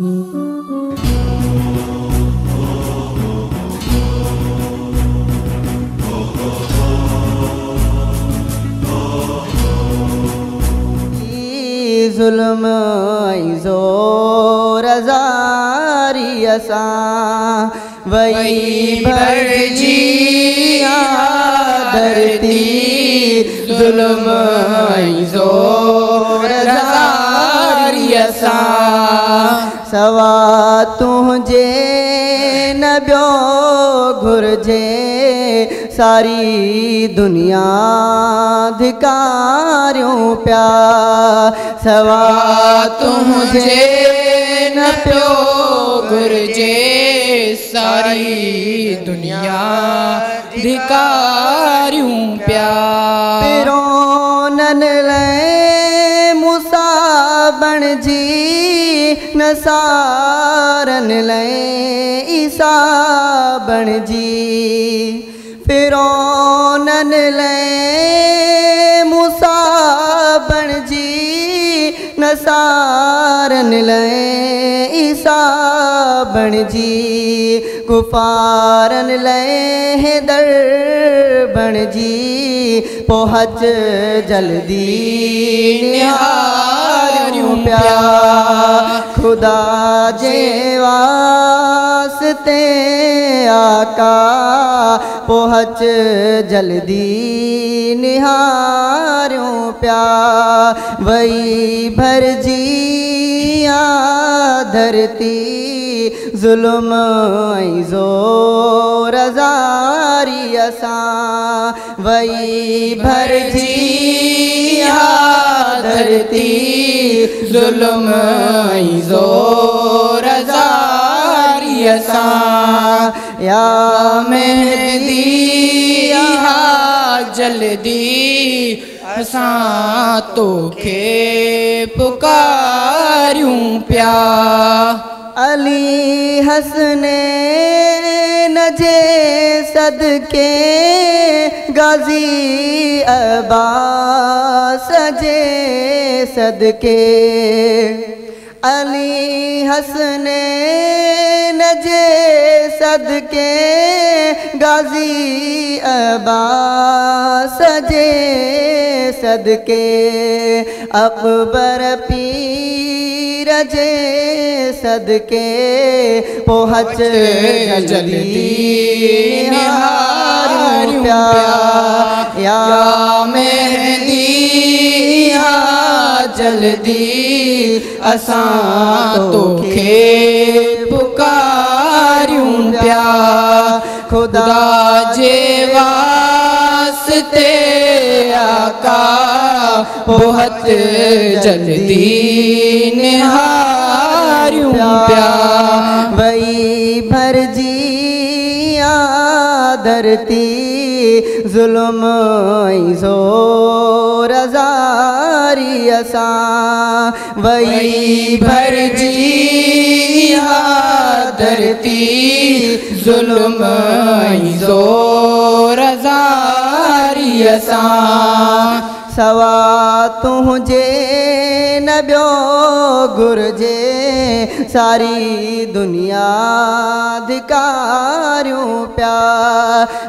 ज़ुल्म ऐं ज़ोर ज़ारीअ सां वई भरिजी धरती। ज़ुल्म ऐं ज़ोर ज़ारीअ सां सवा तुंहिंजे न ॿियो घुर्जे, सारी दुनिया धिकारियूं पिया। सवा तुंहिंजे न पियो घुर्जे, सारी दुनिया धिकारियूं पिया। फिरौननि लाइ मूसा बणिजी, नसारनि लाइ ईसा बणिजी। फिरौननि लाइ मूसा बणिजी, नसारनि लाइ ईसा बणिजी। कुफारनि लाइ हैदर बणिजी, पहुच जल्दी निहारियूं पिया। ख़ुदा जे वास्ते आका, पहुच जल्दी निहारियूं पिया। वई भरिजी आ धरती, ज़ुल्म ऐं ज़ोर ज़ारीअ सां। वई भरिजी आ धरती, ज़ुल्म ऐं ज़ोर ज़ारीअ सां। या मेहदी हा जल्दी, असां तोखे पुकारियूं पिया। अली हसनैन जे सदके, गाज़ी अब्बास जे सदके। अली हसनैन जे सदके, गाज़ी अब्बास जे सदके। अकबर पीर जे सदके, पहुच जल्दी निहारियूं पिया। या मेहदी हा जल्दी, असां तोखे पुकारियूं पिया। ख़ुदा जे वास्ते आका, पहुच जल्दी निहारियूं पिया। वई भरिजी आ धरती, ज़ुल्म ऐं ज़ोर ज़ारीअ सां। वई भरिजी आ धरती, ज़ुल्म ऐं ज़ोर ज़ारीअ सां। सवा तुंहिंजे न ॿियो घुर्जे, सारी दुनिया धिकारियूं पिया।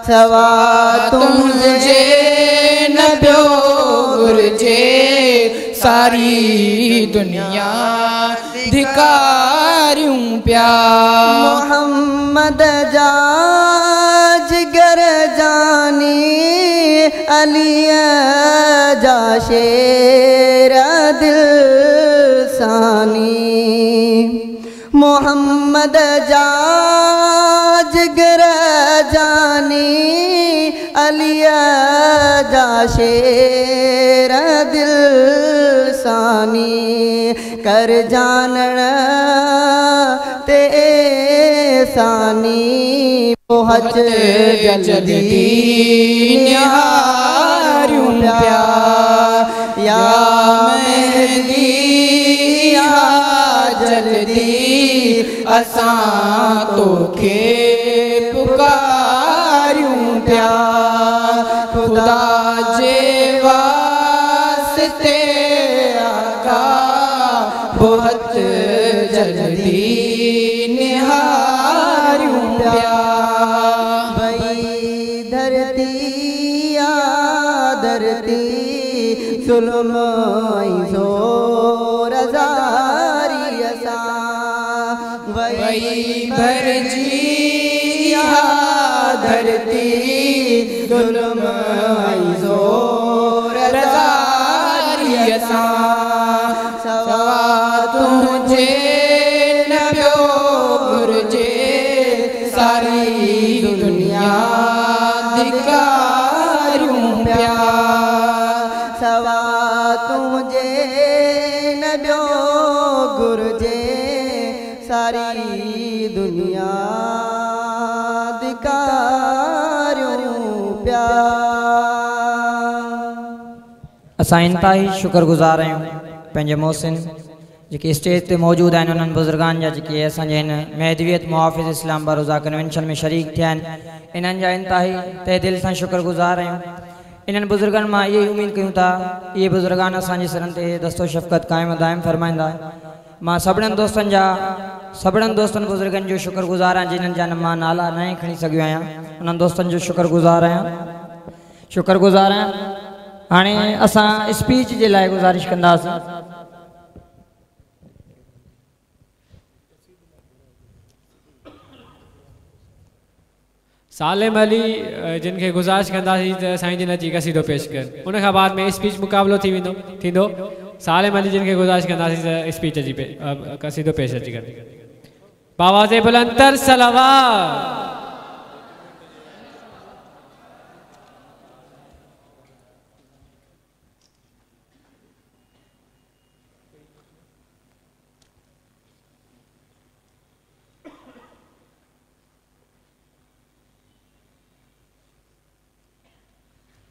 सवा तुंहिंजे न ॿियो घुर्जे, सारी दुनिया धिकारियूं पिया। मोहम्मद जा जिगर जानी, अली जा शेर दिल सानी। मोहम्मद जा जिगर जानी, अली जा शेर दिल सानी। कर जानण ते सानी, पहुच जल्दी निहारियूं पिया। या मेहदी हा जल्दी, असां तोखे पुकारियूं पिया। ख़ुदा जे वास्ते आका, पहुच जल्दी जल्दी निहारियूं पिया। वई धरती आ धरती ज़ुल्म ऐं ज़ोर ज़ारीअ सां वई भरिजी इहा धरती ज़ुल्म ऐं ज़ोर ज़ारीअ सां। सवा तुंहिंजे न ॿियो घुरिजे सारी दुनिया धिकारियूं पिया। सवा तुंहिंजे न ॿियो घुरिजे सारी दुनिया धिकारियूं पिया। असां इंतिहाई शुक्रगुज़ार आहियूं पंहिंजे मोहसिन जेके स्टेज ते मौजूदु आहिनि उन्हनि बुज़ुर्गनि जा जेके असांजे हिन महदवियत मुहाफ़िज़ इस्लाम बरोज़ा कन्वेंशन में शरीक थिया आहिनि, इन्हनि जा इंतिहाई तहे दिल सां शुक्रगुज़ार आहियूं। इन्हनि बुज़ुर्गनि मां इहा ई उमेद कयूं था इहे बुज़ुर्गान असांजे सिरनि ते दस्तो शफ़क़त क़ाइम दाइम फरमाईंदा। मां सभिनीनि दोस्तनि जा सभिनीनि दोस्तनि बुज़ुर्गनि जो शुक्रगुज़ार आहियाँ जिन्हनि जा मां नाला न खणी सघियो आहियाँ, उन्हनि दोस्तनि जो शुक्रगुज़ार आहियाँ शुक्रगुज़ार आहियाँ। हाणे असां स्पीच जे लाइ गुज़ारिश कंदासीं। सालिम अली जिन खे गुज़ारिश कंदासीं त साईं जिन अची कसीदो पेश कनि, उन खां बाद में स्पीच मुक़ाबिलो थी वेंदो थींदो। सालिम अली जिन खे गुज़ारिश कंदासीं त स्पीच अची कसीदो पेश अची कनि। बावाज़े बुलंदर सलावत।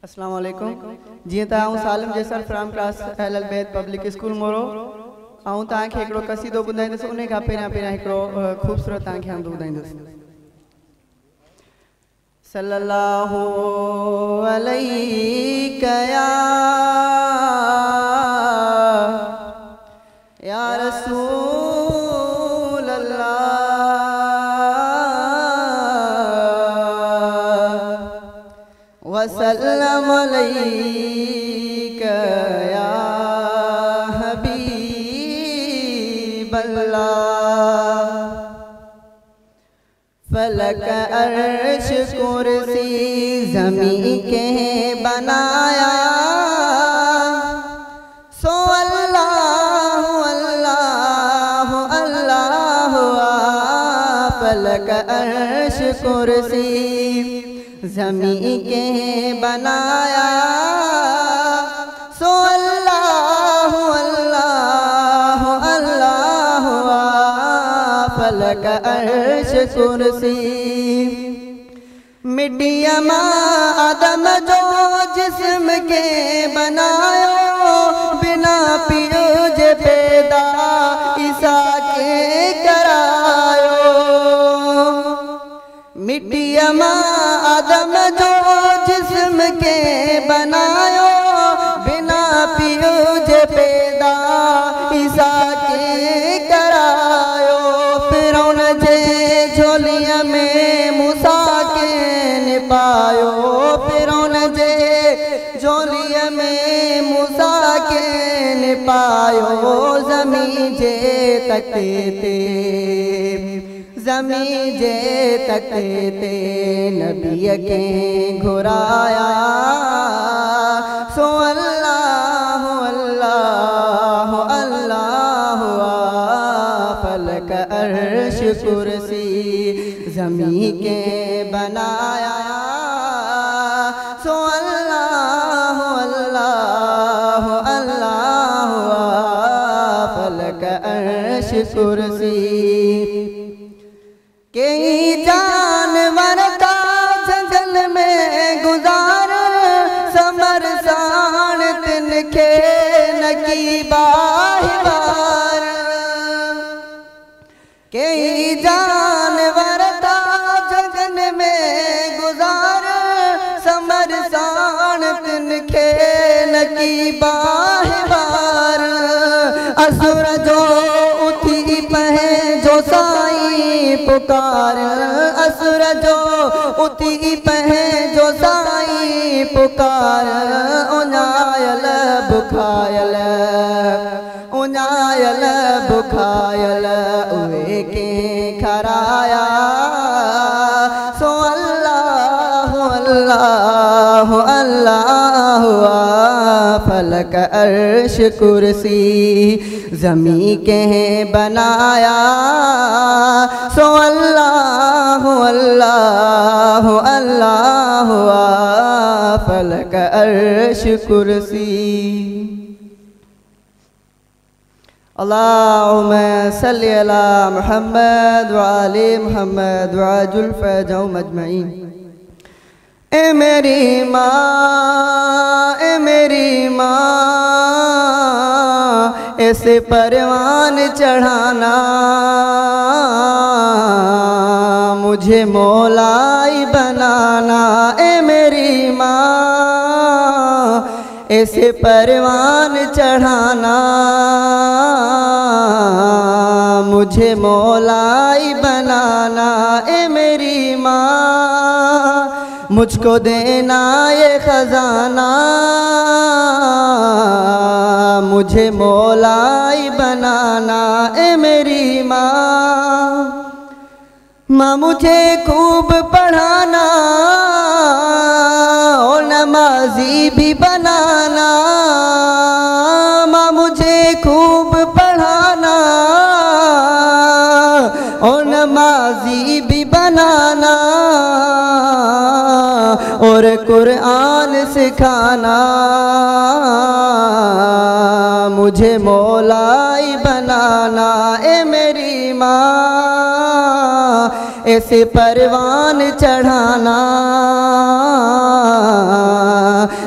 अस्सलाम वालेकुम। जीअं त आउं Salim Jesar from class Ahlul Bait public school Moro. आउं तव्हांखे हिकिड़ो कसीदो ॿुधाईंदुसि, उन खां पहिरियां पहिरियां हिकिड़ो ख़ूबसूरत तव्हांखे आउं ॿुधाईंदुसि। सल्लल्लाहु अलैका या रसूल अल्लाह। वसल्लम अलैका या हबीब अल्लाह। फलक अर्श कुर्सी ज़मीं के बनाया सो अल्लाह अल्लाह अल्लाह। फलक अर्श कुर्सी ज़मीं के बनाया सो अल्लाह अल्लाह अल्लाह। फलक अर्श कुर्सी मिट्टिया मां आदम जो जिस्म के बनायो बिना पीउ जे पैदा ईसा के करायो। मिट्टिया मां आदम जो जिस्म के बनायो बिना पीउ जे पैदा ईसा के करायो। फिरौन जे झोलिया में मूसा के निपायो। फिरौन जे झोलिया में मूसा के निपायो। ज़मीं जे तख्ते ते ज़मीं जे तख्ते ते नबीअ खे घुराया सो अल्लाह अल्लाह अल्लाह। फलक अर्श कुर्सी ज़मीं के बनाया सो अल्लाह अल्लाह अल्लाह। फलक अर्श कुर्सी कई जानवर का जंगल में गुजार समर साण तिन खे नकी बाहिबार। कई जानवर का जंगल में गुजार समर साण तिन खे नकी बाहिबार। असुर जो उथी पंहिंजो साईं पुकार असर जो उथी पंहिंजो साईं पुकार उञायल बुखायल उञायल बुखायल उहे कंहिं खाराया सो अल्लाह अल्लाह अल्लाह फलक अर्श कुर्सी ज़मीं कंहिं बनाया सो अल्लाह अल्लाह अल्लाह फलक अर्श कुर्सी। अल्लाहुम्मा सल्लि अला मुहम्मद व आले मुहम्मद व अजुल फजहुम अजमईन। ए मेरी माँ ए मेरी माँ ऐसे परवान चढ़ाना मुझे मौलाई बनाना। ए मेरी माँ ऐसे परवान चढ़ाना मुझे मौलाई बनाना। ए मेरी माँ मुझको देना ये खजाना मुझे मौलाई बनाना। ए मेरी माँ माँ मुझे खूब पढ़ाना और नमाजी भी बनाना। माँ मुझे खूब पढ़ाना और नमाजी भी बनाना और कुरान सिखाना मुझे मौलाई बनाना। ए मेरी माँ ऐसे परवान चढ़ाना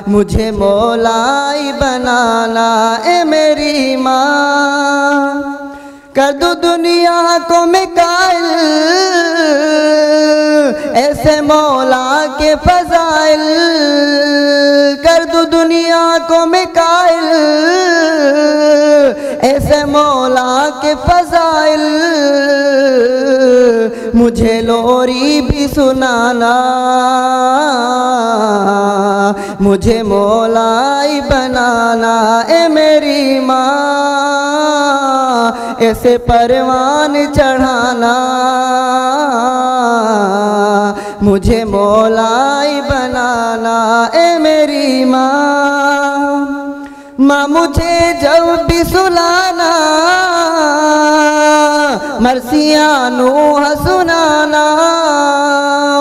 मुझे मौलाई बनाना। ए मेरी माँ कर दो दुनिया को मैं कायल ऐसे मौला के फजाइल। कर दो दुनिया को मैं कायल ऐसे मौला के फजाइल मुझे लोरी भी सुनाना मुझे मौलाई बनाना। ए मेरी माँ ऐसे परवान चढ़ाना मुझे मौलाई बनाना। ए मेरी माँ माँ मुझे जब भी सुलाना मरसिया नूह सुनाना।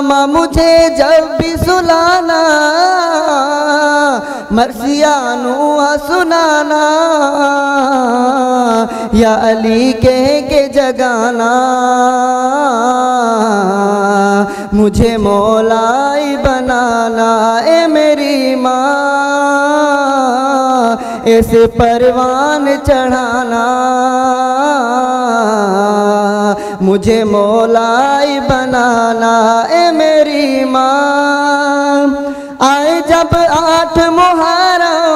माँ मुझे जब भी सुलाना मरसिया नूह सुनाना या अली कह के जगाना मुझे मौलाई बनाना। ए मेरी माँ ऐसे परवान चढ़ाना मुझे मौलाई बनाना। ए मेरी माँ आए जब 8 मुहर्रम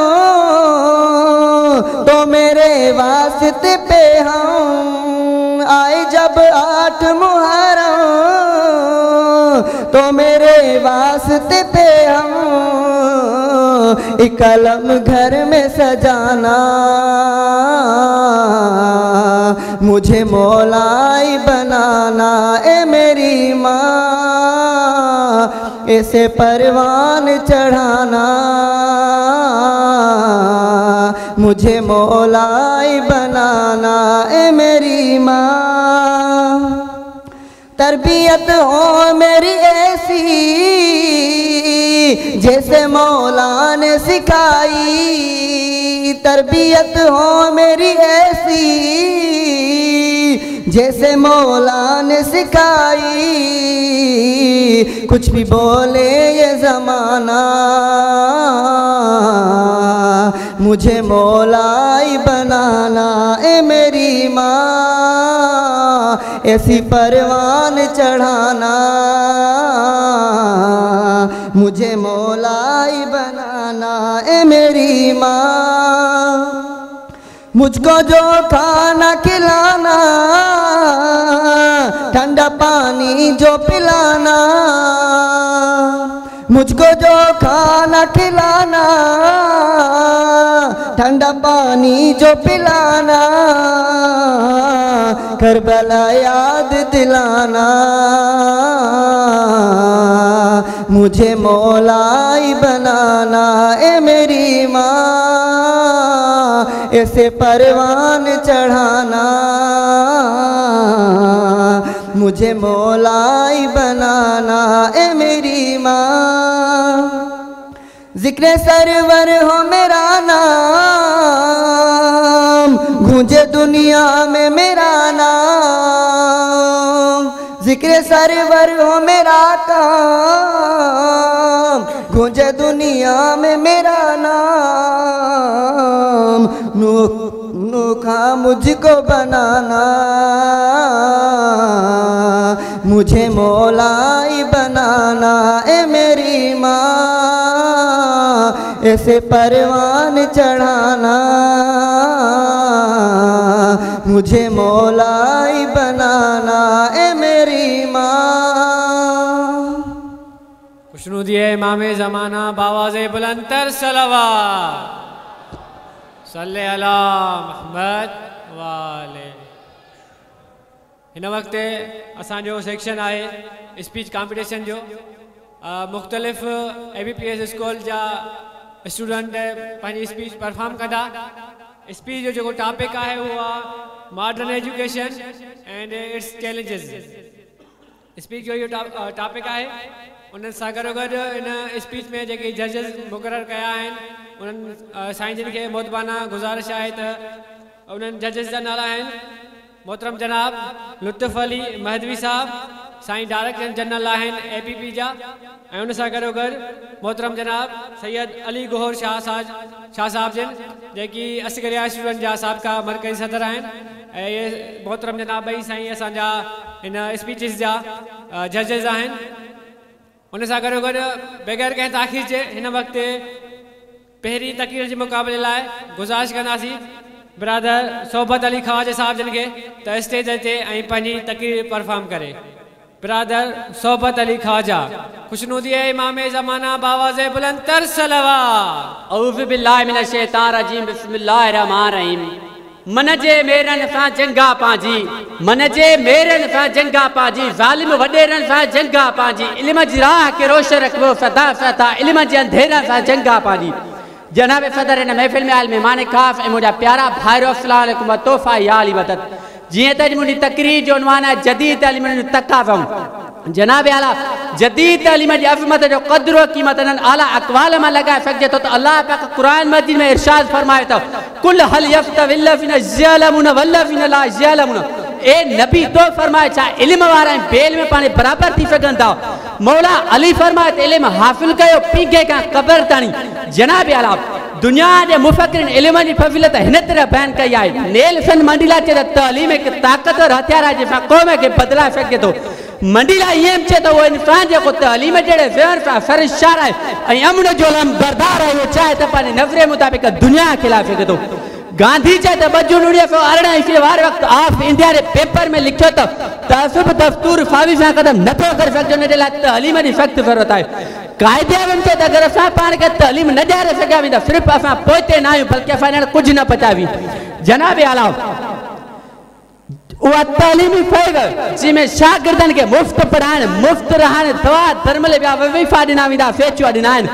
तो मेरे वास्ते पे हम आए जब 8 मुहर्रम तो मेरे वास्ते पे हम एक कलम घर में सजाना मुझे मौलाई बनाना। ए मेरी माँ ऐसे परवान चढ़ाना मुझे मौलाई बनाना। ए मेरी माँ तरबियत हो मेरी ऐसी जैसे मौला ने सिखाई। तरबियत हो मेरी ऐसी जैसे मौला ने सिखाई। कुछ भी बोले ये ज़माना मुझे मौलाई बनाना। ए मेरी माँ ऐसी परवान चढ़ाना मुझे मौलाई बनाना। ए मेरी माँ मुझको जो खाना खिलाना ठंडा पानी जो पिलाना, मुझको जो खाना खिलाना, ठंडा पानी जो पिलाना, करबला याद दिलाना, मुझे मौलाई बनाना, ए मेरी माँ ऐसे परवान चढ़ाना, मुझे मौलाई बनाना, ए मेरी माँ। जिक्र सरवर हो मेरा नाम, गूंजे दुनिया में मेरा नाम, जिक्र सरवर हो मेरा काम, गूंजे दुनिया में मेरा नाम, नूखा मुझको बनाना, मुझे मौलाई बनाना, ए मेरी माँ ऐसे परवान चढ़ाना, मुझे मौलाई बनाना, ए मेरी माँ। खुशनुदी इमाम ज़माना बावाज़े बुलंदर सलावत सल्ले अला मुहम्मद वाले। हिन वक़्त असांजो सेक्शन आहे स्पीच कॉम्पिटिशन जो। मुख़्तलिफ़ ABPS school जा स्टूडेंट पंहिंजी स्पीच परफॉर्म कंदा। स्पीच जो जेको टॉपिक आहे उहो आहे modern education and its challenges. Speech जो इहो टॉपिक आहे। उन्हनि सां गॾोगॾु इन स्पीच में जेके जजिस मुक़ररु कया आहिनि उन्हनि साईं जिन खे मोतबाना गुज़ारिश आहे त उन्हनि जजिस जा नाला आहिनि मोहतरम जनाब लुत्फ़ अली महदवी साहब साईं डायरेक्टर जनरल आहिनि APP जा, ऐं उन सां गॾोगॾु मोहतरम जनाब सैयद अली गोहर शाह साहब जिन जेकी असगरिया स्टूडेंट जा साबिक़ा मरकज़ी सदर आहिनि। ऐं इहे मोहतरम जनाब ॿई साईं असांजा हिन स्पीचिस जा जजिस आहिनि। उन सां गॾोगॾु बग़ैर कंहिं ताख़ीर जे हिन वक़्तु पहिरीं तक़रीर जे मुक़ाबले लाइ गुज़ारिश कंदासीं बिरादर सोहबत अली ख़्वाजा साहब जिन खे त स्टेज ते ऐं पंहिंजी तक़रीर परफॉर्म करे। बिरादर सोहबत अली ख़्वाजा खुशनुदी इमाम ज़माना बावाज़े बुलंद तर सलावत। औज़ु बिल्लाहि मिनश शैतानिर रजीम बिस्मिल्लाहिर रहमानिर रहीम। मन जे मेरन सां जंगा पांजी, मन जे मेरन सां जंगा पांजी, ज़ालिम वॾेरनि सां जंगा पांजी, इल्म जी राह खे रोशन रखबो सदा सदा, इल्म जे अंधेरनि सां जंगा पांजी। जनाब सदर हिन महफ़िल में आयल महिमान ख़ास ऐं मुंहिंजा प्यारा भाइरो, अस्सलाम वालेकुम तोहफ़ा या अली मदद। जीअं त अॼु मुंहिंजी तकरीर जो उन्वान आहे जदीद तालीम जो तक़ाज़ाऊं। जनाब आला जदीद तालीम जी अज़मत जो क़दुरु क़ीमत इन्हनि आला अक़वाल मां लॻाए सघिजे थो त अलाह पाक क़ुरान मजीद में इरशाद फरमाए थो कुल हल यस्तविल्लज़ीना यअलमून वल्लज़ीना ला यअलमून। ए नबी तो फरमाए छा इल्म वारा ऐं बेइल्म में पाण बराबरि थी सघनि था। मौला अली फरमाए त इल्म हासिल कयो पींघे खां क़बर ताईं। जनाब आला दुनिया जे मुफ़क्रिन इल्म जी फ़ज़ीलत हिन तरह बयानु कई आहे। नेल्सन मंडेला चए त तालीम हिकु ताक़तवर हथियार आहे जंहिंसां क़ौम खे बदिलाए सघिजे थो। मंडेला ईअं बि चए थो उहो इंसान जेको तालीम जहिड़े ज़हर सां सरशार आहे ऐं अमन जो अलमबरदार आहे उहो चाहे त पंहिंजे नज़रे मुताबिक़ दुनिया खे खिलाए सघे थो। गांधी चए त 2 जून 1918 ईस्वी वारे वक़्तु ऑफ इंडिया जे पेपर में लिखियो त तअसुब दस्तूर फावी सां क़दम नथो करे सघिजे, हुनजे लाइ तालीम जी सख़्तु ज़रूरत आहे। क़ाइदे आज़म चए त अगरि असां पाण खे तालीम न ॾियारे सघिया वेंदा सिर्फ़ु असां पोइते न आहियूं बल्कि असां ॼण कुझु न पचावी। जनाब आला उहा तालीमी फ़ैज़ जंहिंमें शागिर्दनि खे मुफ़्त पढ़ाइण, मुफ़्त रहण, दवा धर्मल ॿिया वज़ीफ़ा ॾिना वेंदा, फेचुआ ॾिना आहिनि,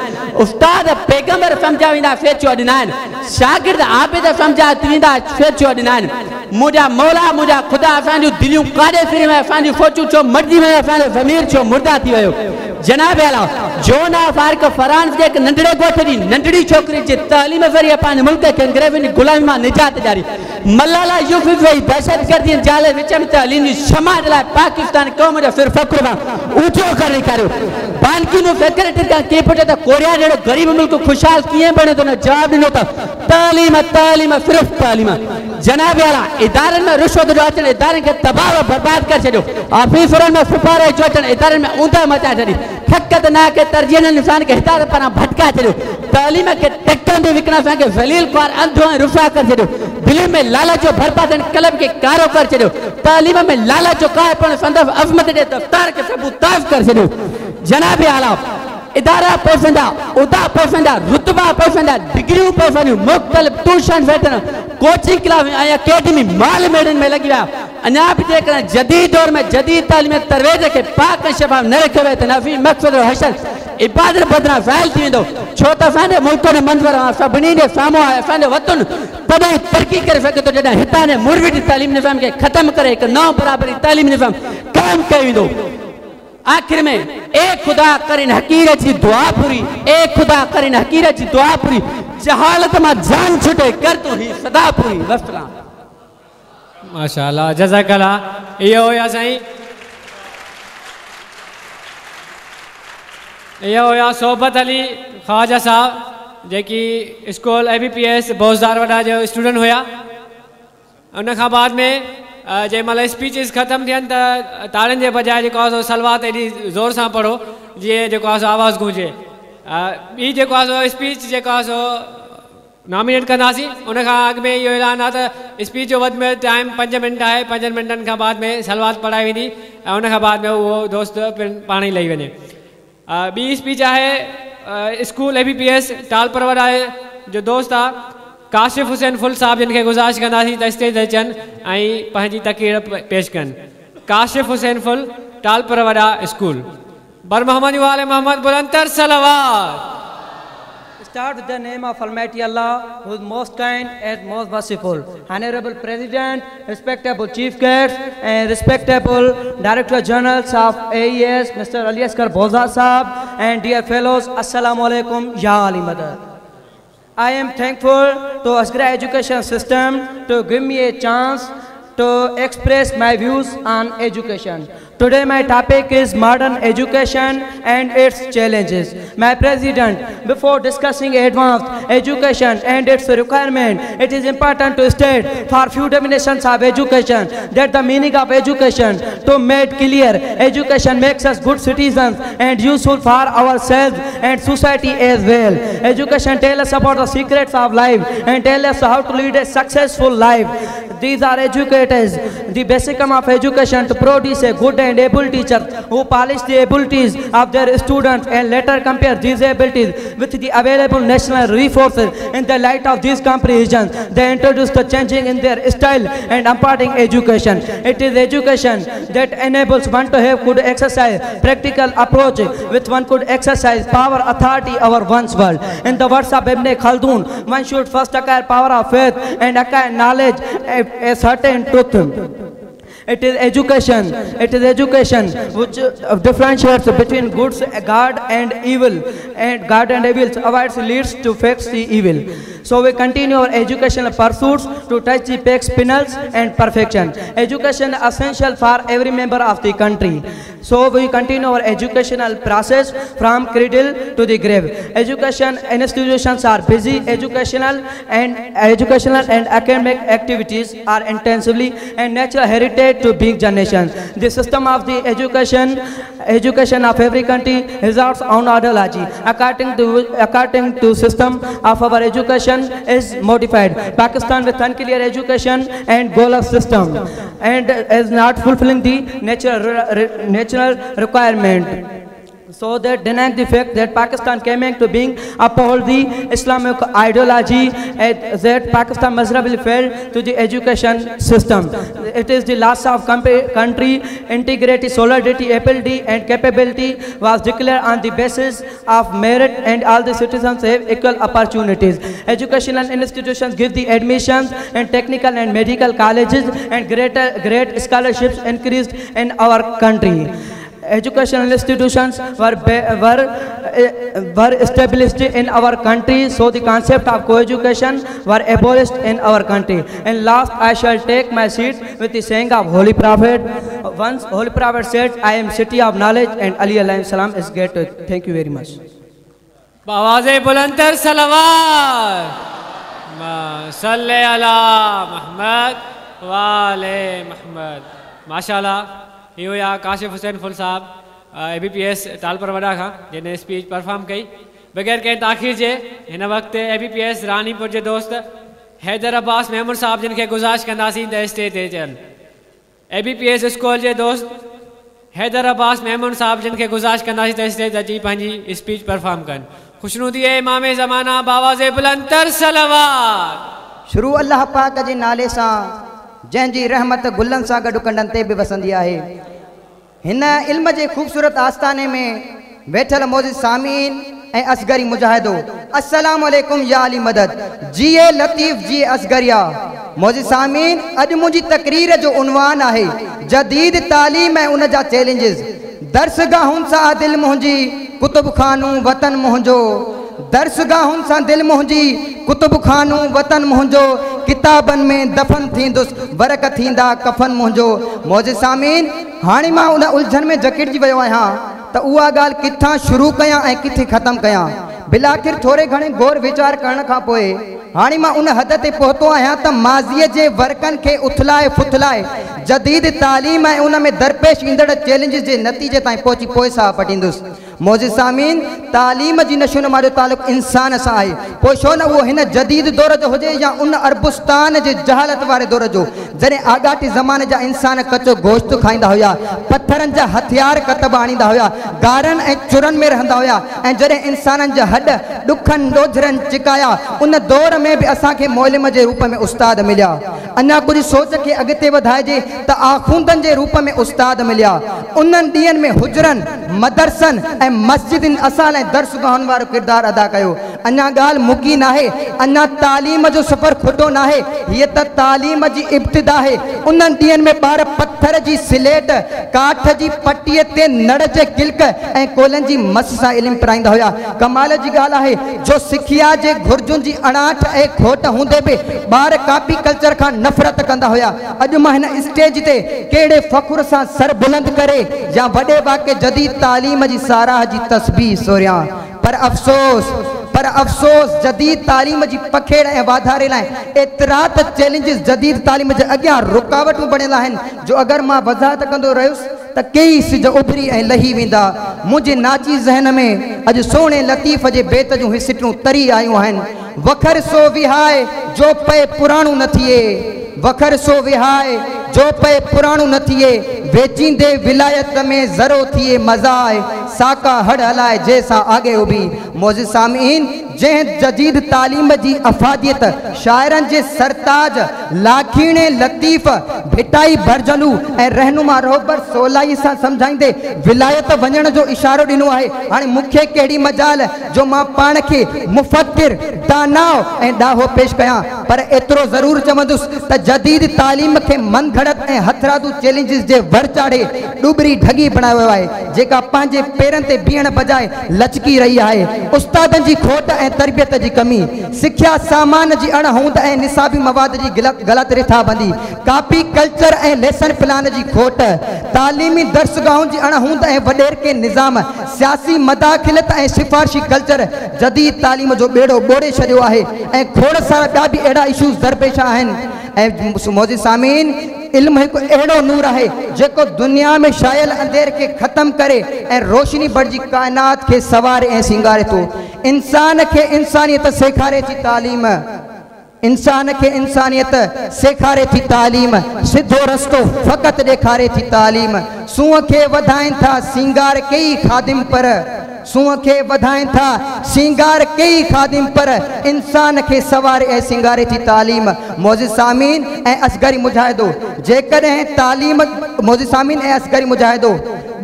उस्ताद पैगंबर सम्झा वेंदा, फेचुआ ॾिना आहिनि, शागिर्द आबिद सम्झा वेंदा, फेचुआ ॾिना आहिनि। मुंहिंजा मौला मुंहिंजा ख़ुदा असांजूं दिलियूं काॾे फिरी वयूं, असांजूं सोचूं छो मरिजी वयूं, असांजो ज़मीर छो मुर्दा थी वियो। जनाब आला जोन ऑफ आर्क फ्रांस जे हिकु नंढड़े ॻोठ जी नंढड़ी छोकिरी जे तालीम ज़रिए पंहिंजे मुल्क खे अंग्रेज़नि जी ग़ुलामी मां निजात ॾियारी। मलाला यूसुफ़ दहशतगर्दी जाले विच में तालीम जी क्षमा जे लाइ पाकिस्तान क़ौम जो सिर फ़ख्र सां ऊंचो करे ॾेखारियो। बान की मूं सेक्रेटरी खां कीअं पुछियो त कोरिया जहिड़ो ग़रीब मुल्क ख़ुशहाल कीअं बणे थो, हुन जवाबु ॾिनो त तालीम तालीम सिर्फ़ तालीम। जनाब आला इदारनि में रिश्वत जो अचणु इदारनि खे तबाह बर्बाद करे छॾियो, ऑफिसरनि में सिफारिश जो अचणु इदारनि में ऊंदह मचाए छॾी। थकत ना के तरजीह इंसान खे हिदायत पारां भटकाए छॾियो। तालीम खे टकनि ते विकिणण असांखे ज़लील ख़्वार अंधो ऐं रुसवा करे छॾियो। दिलि में लालच जो बर्बाद कलम खे कारो करे छॾियो। तालीम में लालच जो काय पण संदसि अज़मत जे दफ़्तर खे सबूताज़ करे छॾियो। जनाब आला, इदारा पैसनि जा, उहिदा पैसनि जा, रुतबा पैसनि जा, डिग्रियूं पैसनि जूं, मुख़्तलिफ़ ट्यूशन सेंटर, कोचिंग क्लास ऐं अकेडमी माल मेड़नि में लॻी विया। अञा बि जेकॾहिं जदीद दौर में जदीद तालीम तरवेज खे पाक ऐं शफ़ाफ़ न रखियो वियो त नफ़ी मक़सद हशर इबादत बदिरां ज़ाहिल थी वेंदो। छो त असांजे मुल्क जो मंज़र आहे, सभिनी जे साम्हूं आहे। असांजो वतन तॾहिं तरक़ी करे सघे थो जॾहिं हितां जे मुरविड तालीम निज़ाम खे ख़तमु करे हिकु नओं बराबरी तालीम निज़ाम क़ाइमु कयो वेंदो। आख़िर में ए ख़ुदा करिन हकीर जी दुआ पूरी, ए ख़ुदा करिन हकीर जी दुआ पूरी, जहालत मां जान छुटे कर तूं ही सदा पूरी। वस्सलाम। माशाअल्लाह, जज़ाकल्लाह। इहो हुया साईं, इहो हुया सोहबत अली ख्वाजा साहब, जेकी स्कूल ABPS Bozdar वॾा जो स्टूडेंट हुया। उन खां बाद में जंहिं महिल स्पीचेस ख़तमु थियनि त ताड़ियुनि जे बजाए जेको आहे सो सलवात एॾी ज़ोर सां पढ़ो जीअं जेको आहे सो आवाज़ गूंजे। ॿी जेको आहे सो स्पीच जेको आहे सो नॉमिनेट कंदासीं। उन खां अॻु में इहो ऐलान आहे त स्पीच जो वधि में वधि टाइम 5 मिंट आहे। 5 मिंटनि खां बाद में सलवात पढ़ाई वेंदी ऐं उन खां बाद में उहो दोस्त पिणु पाण ई लही वञे। ॿी स्पीच आहे स्कूल ABPS Talpur वॾा जो दोस्त आहे काशिफ़ हुसैन फुल साहब, जिन खे गुज़ारिश कंदासीं त स्टेज ते अचनि ऐं पंहिंजी तक़रीर पेश कनि। काशिफ़ हुसैन फुल, टालपर वॾा स्कूल। बर मोहम्मद वाले Mohammad बुलंदर सलवात। Start with the name of Almighty Allah, who is most kind and most merciful. Honorable President, respectable Chief Guest, and respectable Director Generals of AES, Mr. Ali Asghar Bozdar Sahab, and dear fellows, Assalamu Alaikum, Ya Ali Madad. I am thankful to Asgra education system to give me a chance to express my views on education. Today my topic is modern education and its challenges. My President, before discussing advanced education and its requirement, it is important to state for few definitions of education that the meaning of education to make clear. Education makes us good citizens and useful for ourselves and society as well. Education tells us about the secrets of life and tells us how to lead a successful life. These are educators. The basic aim of education to produce a good and able teacher who polish the abilities of their students and later compare these abilities with the available national resources. In the light of these comparisons, they introduce the changing in their style and imparting education. It is education that enables one to have good exercise, practical approach with one could exercise power, authority over one's world. In the words of Ibn Khaldun, one should first acquire power of faith and acquire knowledge, a certain truth. It is education. It is education which differentiates between goods, God and evil, and God and evil avoids leads to fix the evil. So we continue our educational pursuits to touch the peaks, pinnacle, and perfection. Education is essential for every member of the country. So we continue our educational process from cradle to the grave. Education institutions are busy. Educational and academic activities are intensively and natural heritage to big generations. The system of the education of every country results on ideology. According to system of our education is modified. Pakistan with unclear education and goal of system and is not fulfilling the natural requirement. So that denying the fact that Pakistan came into being uphold the Islamic ideology and that Pakistan miserably failed to the education system. It is the loss of country integrity, solidarity, ability and capability was declared on the basis of merit and all the citizens have equal opportunities. Educational institutions give the admissions and technical and medical colleges and great scholarships increased in our country. Educational institutions were established in our country, so the concept of co-education were abolished in our country. And last, I shall take my seat with the saying of Holy Prophet. Once Holy Prophet said, I am city of knowledge and Ali alayhi salam is great. Thank you very much. Bawaze bulandar salawat. Ma salli ala Muhammad wa ale Muhammad. MashaAllah. इहो या Kashif Hussain full साहब ABPS Talpur वॾा खां जिन speech perform कई। बग़ैर कंहिं ताख़ीर जे हिन वक़्तु ABPS Ranipur जे दोस्त हैदर अब्बास मेमन साहब जिन खे गुज़ारिश कंदासीं त स्टेज ते अचनि। ABPS school जे दोस्त हैदर अब्बास मेमन साहब जिन खे गुज़ारिश कंदासीं त स्टेज अची पंहिंजी स्पीच परफॉर्म कनि। ख़ुशनुदी इमाम ज़माना बावाज़े बुलंद तर सलवात। शुरू अल्लाह पाक जे नाले सां जंहिंजी रहमत गुलनि सां गॾु कंडनि ते बि वसंदी आहे। हिन इल्म जे ख़ूबसूरत आस्ताने में वेठल मौजूद सामीन ऐं असगरी मुजाहिदो, अस्सलाम वालेकुम या अली मदद। जीए लतीफ़ जी असगरिया। मौजूद सामीन, अॼु मुंहिंजी तकरीर जो उन्वान आहे जदीद तालीम ऐं उन जा चैलेंजिस। दर्सगाहुनि सां दिलि मुंहिंजी कुतुब खानू वतन मुंहिंजो, दर्सगाहुनि सां दिलि मुंहिंजी कुतुब खानू वतन मुंहिंजो, किताबनि में दफन थींदुसि वरक थींदा कफन मुंहिंजो। मौजूद सामीन, हाणे मां उन उलझन में जकिड़जी वियो आहियां त उहा ॻाल्हि किथां शुरू कयां ऐं किथे ख़तमु कयां। बिलाखिर थोरे घणे गौर वीचार करण खां पोइ हाणे मां उन हद ते पहुतो आहियां त माज़ीअ जे वर्कनि खे उथलाए फुथलाए जदीद तालीम ऐं उन में दरपेश ईंदड़ चैलेंजिस जे नतीजे ताईं पहुची पोइ साह पटींदुसि। मौजूद सामीन, तालीम जी नशोनुमा जो तालुक़ इंसान सां आहे, पोइ छो न उहो हिन जदीद दौर जो हुजे या उन अरबुस्तान जे जहालत वारे दौर जो, जॾहिं आॻाटे ज़माने जा इंसान कचो गोश्त खाईंदा हुया, पथरनि जा हथियार कतब आणींदा हुया, गारनि ऐं चुरनि में रहंदा हुया, ऐं जॾहिं इंसाननि जा हॾ ॾुखनि ॾोझरनि चिकाया, उन दौर में बि असांखे मौलिम जे रूप में उस्ताद मिलिया। अञा कुझु सोच खे अॻिते वधाइजे त आख़ूंदनि जे रूप में उस्ताद मिलिया। उन्हनि ॾींहंनि में हुजरनि, मदरसनि ऐं मस्जिदनि असां लाइ दर्सगाहुनि वारो किरदारु अदा कयो। अञा ॻाल्हि मुकी नाहे, अञा तालीम जो सफ़र खुटो नाहे, हीअ त तालीम जी इब्तिदा आहे। उन्हनि ॾींहंनि में ॿार पथर जी सिलेट, काठ जी पटीअ ते नड़ जे किल्क ऐं कोलनि जी मस सां इल्मु पढ़ाईंदा हुया। कमाल जी ॻाल्हि आहे जो सिखिया जे घुर्जुनि जी अणाठ ऐं खोट हूंदे बि ॿार कॉपी कल्चर खां नफ़रत कंदा हुया। अॼु मां हिन स्टेज ते कहिड़े फ़ख्र सां सर बुलंद करे या वॾे वाक़े जदीद तालीम जी साराह जी तस्बीह सोरियां, पर अफ़सोस जदीद तालीम जी पखेड़ ऐं वाधारे लाइ एतिरा त चैलेंजिस जदीद तालीम जे अॻियां रुकावटूं बणियल आहिनि जो अगरि मां वज़ाहत कंदो रहियुसि त केई सिज उभरी ऐं लही वेंदा। मुंहिंजे नाची ज़हन में अॼु सोणे लतीफ़ जे बेत जूं सिटूं तरी आयूं आहिनि। वखर सो विहाए जो पए पुराणो न थिए, वखर सो विहाए जो पए पुराणो न थिए, वेचींदे विलायत में ज़रो थिए मज़ाए, साका हड़ हलाए जैसा आगे उभी। मौजूद सामीन, जंहिं जदीद तालीम जी अफादियत शाइरनि जे सरताज लाखीणे लतीफ़ भिटाई भरजलू ऐं रहनुमा रोबर सोलाई सां सम्झाईंदे विलायत वञण जो इशारो ॾिनो आहे। हाणे मूंखे कहिड़ी मजाल जो मां पाण खे मुफ़क्किर, दानाव ऐं ॾाहो पेश कयां, पर एतिरो ज़रूरु चवंदुसि त जदीद तालीम खे मनघड़त ऐं हथरादू चैलेंजिस जे वर चाढ़े ॾुबरी ढगी बणायो वियो आहे, जेका पंहिंजे पेरनि ते बीहण बजाए लचकी रही आहे। उस्तादनि जी खोट ऐं तरबियत जी कमी, सिख्या सामान जी अणहूंद ऐं निसाबी मवाद जी ग़लति रिथाबंदी, कॉपी कल्चर ऐं लेसन प्लान जी खोट, तालीमी दर्सगाहुनि जी अणहूंद ऐं वॾेरके निज़ाम, सियासी मदाख़िलत ऐं सिफारिशी कल्चर जदीद तालीम जो ॿेड़ो ॿोड़े छॾियो आहे ऐं खोड़ सारा ॿिया बि अहिड़ा इशूज़ दरपेश आहिनि। ऐं मौजूद सामीन, इल्म हिकु अहिड़ो नूर आहे जेको दुनिया में छायल अंधेर खे ख़त्म करे ऐं रोशनी बणिजी काइनात खे संवारे ऐं सिंगारे थो। इंसान खे इंसानियत सेखारे थी तालीम, इंसान खे इंसानियत सेखारे थी तालीम, सिधो रस्तो फ़क़ति ॾेखारे थी तालीम। सूंहं खे वधाइनि था सिंगार कई ख़ादिम पर, सूंहं खे वधाइनि था सिंगार कई ख़ादिम पर, इंसान खे संवारे ऐं सिंगारे थी तालीम। मौजूद सामीन ऐं असगरी मुजाहिदो, जेकॾहिं तालीम मौजूद सामीन ऐं असगरी मुजाहिदो,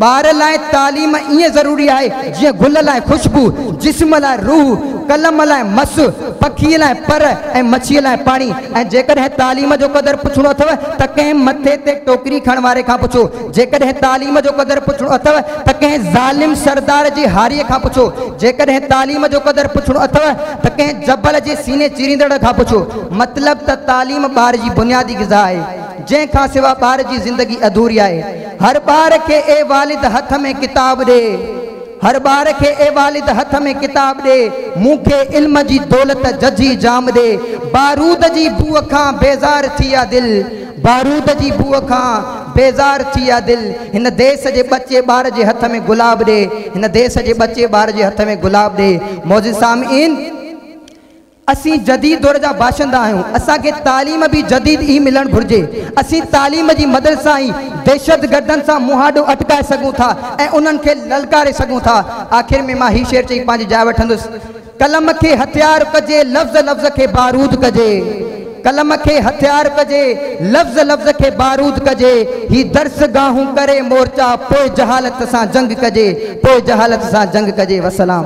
ॿार लाइ तालीम ईअं ज़रूरी आहे जीअं गुल लाइ ख़ुशबू, जिस्म लाइ रूह, कलम लाइ मस, पखीअ लाइ पर ऐं मच्छीअ लाइ पाणी। ऐं जेकॾहिं तालीम जो क़दुरु पुछणो अथव त कंहिं मथे ते टोकरी खणण वारे खां पुछो, जेकॾहिं तालीम जो क़दुरु पुछणो अथव त कंहिं ज़ालिम सरदार जी हारीअ खां पुछो, जेकॾहिं तालीम जो क़दुरु पुछणो अथव त कंहिं जबल जे सीने चीरींदड़ खां पुछो। मतिलबु त तालीम ॿार जी बुनियादी ग़िज़ा आहे, जंहिं खां सिवाइ ॿार जी ज़िंदगी अधूरी आहे। हर ॿार खे ए वालिद हथ में किताब ॾे, हर ॿार खे ए वालिद हथ में किताब ॾे, मूंखे इल्म जी दौलत जजी जाम ॾे। बारूद जी बूअ खां बेज़ार थी आ दिलि, बारूद जी बूअ खां बेज़ार थी आहे दिलि, हिन देस जे बच्चे ॿार जे हथ में गुलाब ॾे, हिन देस जे बच्चे ॿार जे हथ में गुलाब ॾे। मौज़ सामीन, असीं जदीद दौर जा बाशिंदा आहियूं, असांखे तालीम बि जदीद ई मिलणु घुरिजे। असीं तालीम जी मदद सां ई दहशत गर्दनि सां मुहाडो अटकाए सघूं था ऐं उन्हनि खे ललकारे सघूं था। आख़िर में मां हीउ शेर चई पंहिंजी जाइ वठंदुसि। कलम खे हथियार कजे, लफ़्ज़ लफ़्ज़ खे बारूद कजे, कलम खे हथियार कजे, लफ़्ज़ लफ़्ज़ खे बारूद कजे, ही दर्स गाहूं करे मोर्चा, पोइ जहालत सां जंग कजे, पोइ जहालत सां जंग कजे। वसलाम।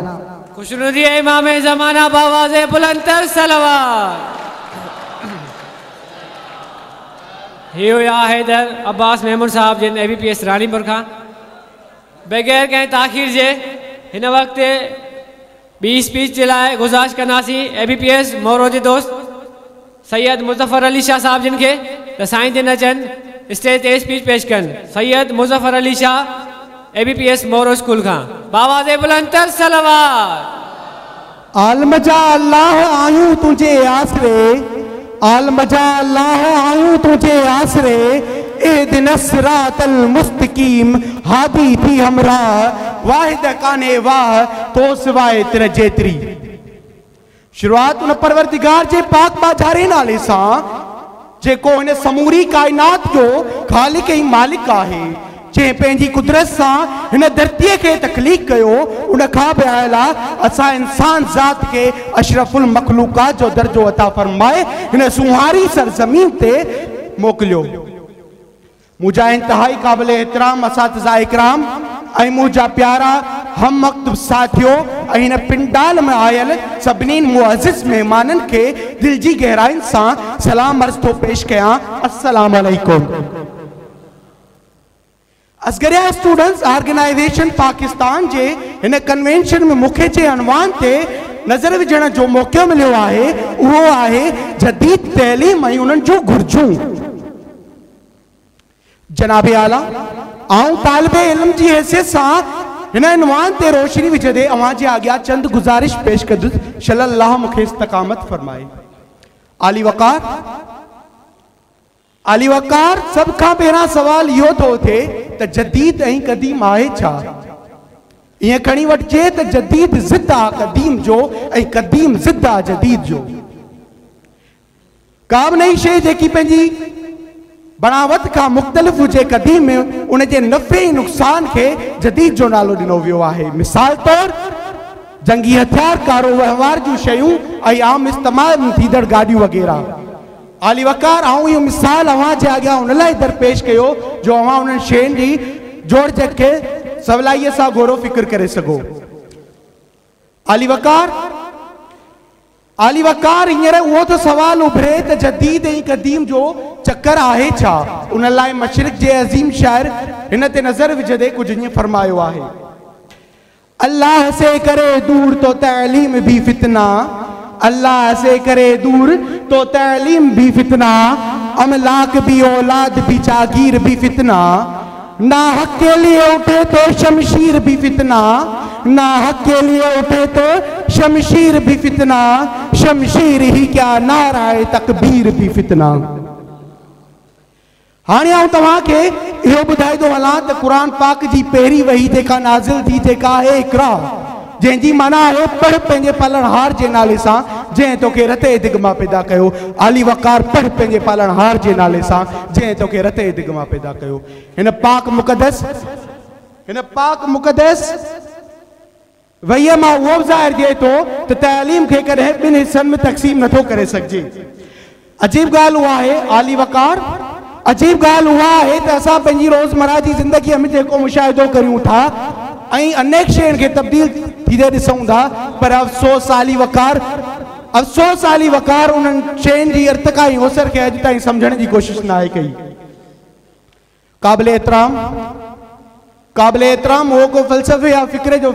खुशनुदी इमाम ज़माना बावाज़े बुलंदर सलवात। ही हुया हैदर अब्बास मेमन साहब जिन A B P S Ranipur खां बग़ैर कंहिं ताख़ीर जे हिन वक़्तु ॿी स्पीच जे लाइ गुज़ारिश कंदासीं ए बी पी एस मोरो जे दोस्त सैयद मुज़फ़्फ़र अली शाह साहब जिन खे त साईं जिन अचनि स्टेज ते स्पीच पेश कनि। Syed Muzaffar Ali Shah A B P S Moro school खां बावाज़े बुलंदर सलवात। आलम जा अल्लाह आहियूं तुंहिंजे आसरे, आलम जा अल्लाह आहियूं तुंहिंजे आसरे, ए दिन सिरातल मुस्तकीम हादी थी हमराह, वाहिद काने वाह तो सिवाय तिन जेतिरी। शुरुआत उन परवरदिगार जे पाक बाजारे नाले सां जेको हिन समूरी काइनात जो ख़ालिक ऐं मालिक आहे, जंहिं पंहिंजी कुदरत सां हिन धरतीअ खे तख़लीक कयो, उन खां बि आयल असां इंसान ज़ात खे अशरफुल मख़लूक़ात जो दर्जो अता फरमाए हिन सुहारी सरज़मीन ते मोकिलियो। मुंहिंजा इंतिहाई क़ाबिल एहतराम असातिज़ा इकराम ऐं मुंहिंजा प्यारा हम वक़्त साथियो ऐं हिन पिंडाल में आयल सभिनी मुअज़्ज़िज़ महिमाननि खे दिलि जी गहराइनि सां सलाम अर्ज़ थो पेश कयां। अस्सलाम वालेकुम। असगरिया स्टूडेंट्स ऑर्गेनाइजेशन पाकिस्तान जे हिन कन्वेंशन में मूंखे जे अनवान ते नज़र विझण जो मौक़ो मिलियो आहे उहो आहे जदीद तइलीम ऐं उन्हनि जूं घुर्जूं। जनाब आला, आउं तालिब इल्म जी हैसियत सां हिन अनवान ते रोशनी विझंदे अव्हां जे अॻियां चंद गुज़ारिश पेश कंदुसि। शल अल्लाह मूंखे इस्तिक़ामत फरमाए। आली वक़ार, आली वक़ार, सभ खां पहिरियां सवाल इहो थो थिए त जदीद ऐं कदीम आहे छा? ईअं खणी वठिजे त जदीद ज़िद आहे कदीम जो ऐं कदीम ज़िद आहे जदीद जो। का बि नई शइ जेकी पंहिंजी बनावत खां मुख़्तलिफ़ हुजे कदीम में, उनजे नफ़े ऐं नुक़सान खे जदीद जो नालो ॾिनो वियो आहे। मिसाल तौर जंगी हथियार, कारो वहिंवार जूं शयूं ऐं आम इस्तेमाल में थींदड़ गाॾियूं वग़ैरह। आली वक़ार, आउं इहो मिसाल अव्हां जे अॻियां उन लाइ दरपेश कयो जो अव्हां उन्हनि शयुनि जी जोड़जक खे सवलाईअ सां गौरो फ़िक्र करे सघो। आली वक़ार, आली वक़ार, हींअर उहो थो सवाल उभरे त जदीद ऐं कदीम जो चक्कर आहे छा? उन लाइ मशरिक जे अज़ीम शाइर हिन ते नज़र विझंदे कुझु ईअं फरमायो आहे। अल्लाह से करे दूर तो तइलीम भी फितना, अल्लाह से करे दूर तो तइलीम भी फितना, अमलाक भी औलाद भी जागीर भी फितना, ना हक के लिए उठे तो शमशीर भी फितना, ना हक के लिए उठे तो शमशीर भी फितना, शमशीर ही क्या नाराए तकबीर भी फितना। हाणे आउं तव्हांखे इहो ॿुधाईंदो हलां त क़ुरान पाक जी पहिरीं वही जेका नाज़िल थी जेका आहे इक़रा, जंहिंजी माना आहे पढ़ पंहिंजे पालणहार जे नाले सां जंहिं तोखे रते दिग मां पैदा कयो। आली वक़ार, पढ़ पंहिंजे पालणहार जे नाले सां जंहिं तोखे रते दिग मां पैदा कयो। हिन पाक मुक़दस, हिन पाक मुक़दस वहीअ मां उहो बि ज़ाहिर थिए थो त तइलीम खे कॾहिं ॿिनि हिसनि में तक़सीम नथो करे सघिजे। अजीब ॻाल्हि उहा आहे आली वक़ार, अजीब ॻाल्हि उहा आहे त असां पंहिंजी रोज़मर्रा जी ज़िंदगीअ में जेको मुशाहिदो करियूं था ऐं अनेक शयुनि खे तब्दील थींदे ॾिसूं था, पर अफ़सोस आली वक़ार, अफ़सोस आली वक़ार उन्हनि शयुनि जी इर्तिका ऐं अवसर खे अॼु ताईं सम्झण जी कोशिश न आहे कई। क़ाबिल एहतराम, क़ाबिल एहतराम, उहो को फ़लसफ़े या फ़िक्र जो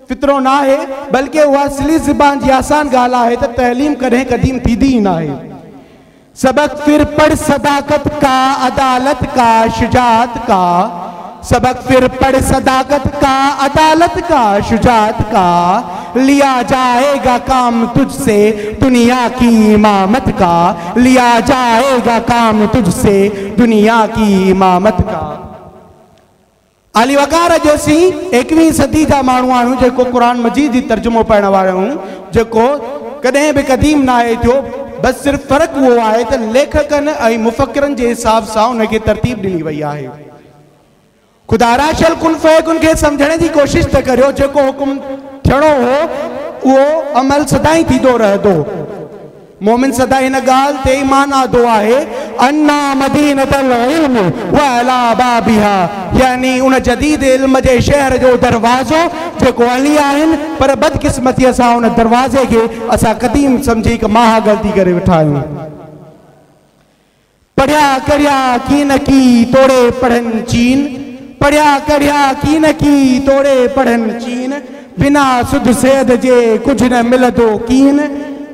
फितरो न आहे, बल्कि उहा सिली ज़बान जी आसान ॻाल्हि आहे त तइलीम कॾहिं कदीम थींदी ई न आहे। सबक फिर पढ़ सदाकत का, अदालत का, शुजाअत का, सबक फिर पढ़ सदाकत का, अदालत का, शुजाअत का, लिया जाएगा काम तुझसे दुनिया की इमामत का, लिया जाएगा काम तुझसे दुनिया की इमामत का। अली वकार अॼु असीं 21वीं सदी जा माण्हू आहियूं जेको क़ुर मजीद जी तर्जुमो पढ़ण वारा आहियूं, जेको कॾहिं बि क़दीम न आहे थियो, बसि सिर्फ़ु फ़र्क़ु उहो आहे त लेखकनि ऐं मुफ़किरनि जे हिसाब सां उनखे तरतीब ॾिनी वई आहे। ख़ुदा शल कुन फयकुन खे सम्झण जी कोशिशि त करियो, जेको हुकुम थियणो हो उहो अमल सदाईं थींदो रहंदो। मोमिन सदा हिन ॻाल्हि ते ईमान आंदो आहे, अन्ना मदीनतल इल्म व अला बाबिहा, यानी उन जदीद इल्म जे शहर जो दरवाज़ो जेको अली आहिनि, पर बदकिस्मतीअ सां उन दरवाज़े खे असां क़दीम सम्झी हिकु महा ग़लती करे वेठा आहियूं। पढ़िया करिया की न की तोड़े पढ़नि चीन, पढ़िया करिया की न की तोड़े पढ़नि चीन, बिना सुध सैद जे कुझु न मिलंदो कीन,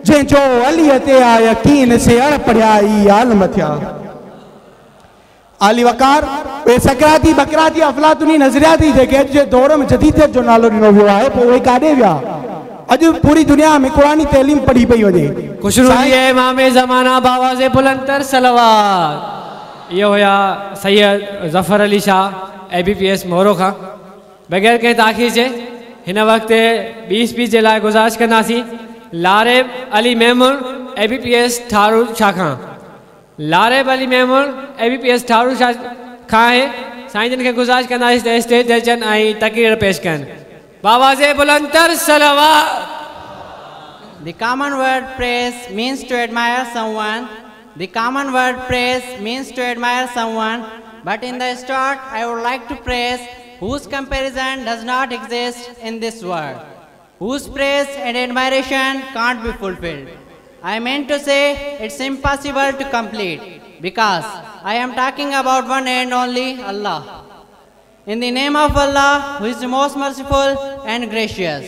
जंहिंजो अलीअ ते आहे यकीन से अण पढ़िया ई आलम थिया। आली वकार उहे सकराती बकराती अफ़लातूनी नज़रियाती जेके अॼु जे दौर में जदीदियत जो नालो ॾिनो वियो आहे, पोइ उहे काॾे विया? अॼु पूरी दुनिया में क़ुरानी तइलीम पढ़ी पई वञे। खुशरूई इमाम ज़माना बावाज़े बुलंदर सलवात। इहो हुया सैयद ज़फ़र अली शाह ABPS मोरो खां। बग़ैर कंहिं ताख़ीर जे हिन वक़्तु ॿी स्पीच जे लाइ गुज़ारिश कंदासीं Lareb Ali Memon ABPS Tharu Shah खां। Lareb Ali Memon ABPS Tharu Shah खां आहे। साईं जन खे गुज़ारिश कंदासीं त स्टेज ते अचनि ऐं तकरीर पेश कनि। बावाज़े बुलंदर सलवात। The common word praise means to admire someone. The common word praise means to admire someone. But in the start, I would like to praise whose comparison does not exist in this world, whose praise and admiration can't be fulfilled. I meant to say it's impossible to complete, because I am talking about one and only Allah. In the name of Allah, who is the most merciful and gracious.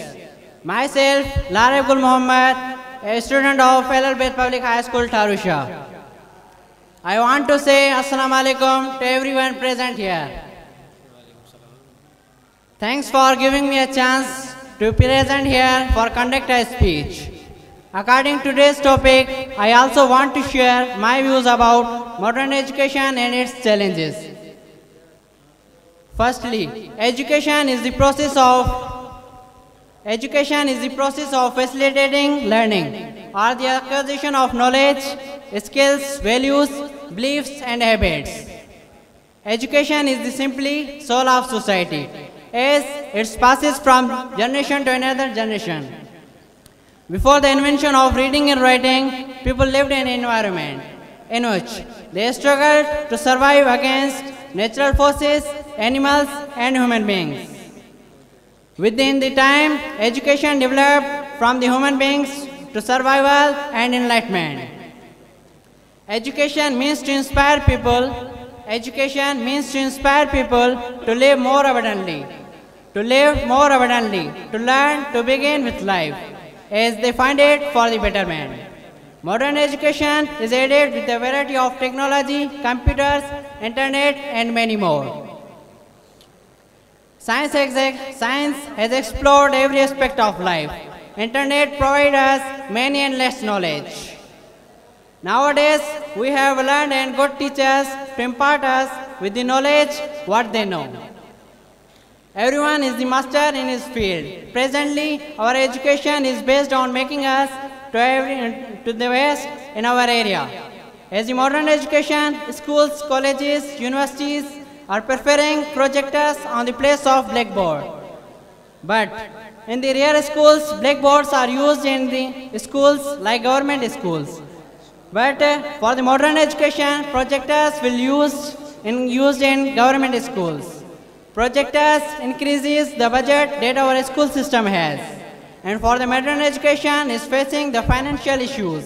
Myself, Lareb Gul Muhammad, a student of Ahlul-Bayt Public High School, Tharusha. I want to say Assalamu alaikum to everyone present here. Thanks for giving me a chance to present here for conduct a speech. According to today's topic, I also want to share my views about modern education and its challenges. Firstly, education is the process of facilitating learning or the acquisition of knowledge, skills, values, beliefs, and habits. Education is the simply soul of society, as it passes from generation to another generation. Before the invention of reading and writing, people lived in an environment in which they struggled to survive against natural forces, animals, and human beings. Within the time, education developed from the human beings to survival and enlightenment. Education means to inspire people. Education means to inspire people to live more abundantly, to learn to begin with life, as they find it for the betterment. Modern education is aided with a variety of technology, computers, internet, and many more. Science has explored every aspect of life. Internet provides us many endless knowledge. Nowadays, we have learned and good teachers to impart us with the knowledge what they know. Everyone is the master in his field. Presently, our education is based on making us to the best in our area. As the modern education, schools, colleges, universities are preferring projectors on the place of blackboard. But in the rare schools, blackboards are used in the schools like government schools. But for the modern education, projectors will used in government schools. Projectors increases the budget that our school system has. And for the modern education is facing the financial issues.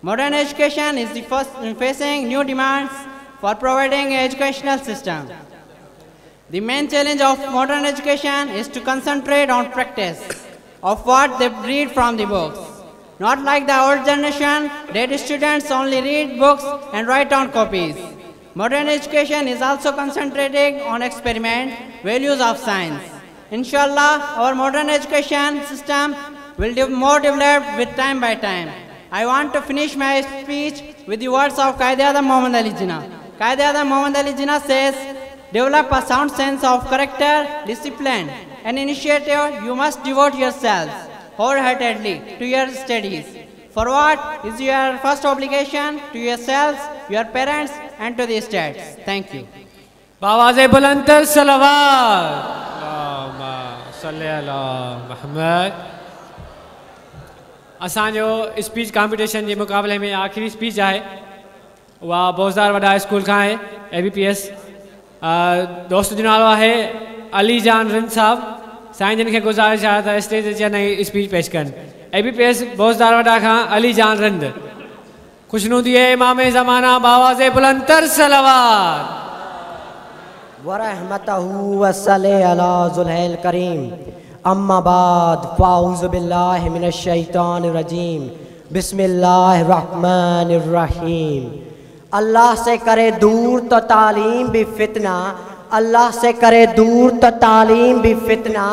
Modern education is the first facing new demands for providing an educational system. The main challenge of modern education is to concentrate on practice of what they read from the books. Not like the old generation that students only read books and write on copies. Modern education is also concentrating on experiment, values of science, Inshallah, our modern education system will be more developed with time by time. I want to finish my speech with the words of Quaid-e-Azam Muhammad Ali Jinnah. Quaid-e-Azam Muhammad Ali Jinnah says, develop a sound sense of character, discipline, and initiative. You must devote yourselves wholeheartedly to your studies. For what is your first obligation to yourselves, your parents, and to the states. Thank you. Bawaze bulantar salawat. Allahumma salli ala Muhammad. असांजो speech competition जे मुक़ाबले में आख़िरी speech आहे उहा बोज़दार वॾा school खां आहे ABPS। दोस्त जो नालो आहे अली जान रिंद साहब। साईं जिन खे गुज़ारिश आहे त स्टेज ते नई स्पीच पेश कनि। ABPS Bozdar वॾा खां अली जान रिंद। खुशनुदी इमाम ज़माना बावाज़े बुलंदर सलावत। वरहमतहू वसल्ले अला ज़ुलहल करीम। अम्मा बाद फ़ाऊज़ु बिल्लाहि मिनश शैतानिर रजीम। बिस्मिल्लाहिर रहमानिर रहीम। अल्लाह से करे दूर तो तालीम भी फितना, अल्लाह से करे दूर तो तालीम भी फितना,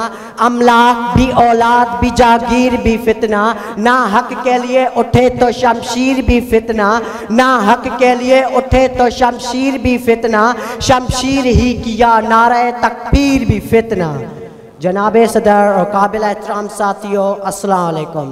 अमलाक भी औलाद भी जागीर भी फितना, ना हक के लिए उठे तो शमशीर भी फितना, ना हक के लिए उठे तो शमशीर भी फितना, शमशीर ही किया नारे तकबीर भी फितना। जनाब सदर और काबिल एहतराम साथियों, अस्सलाम वालेकुम।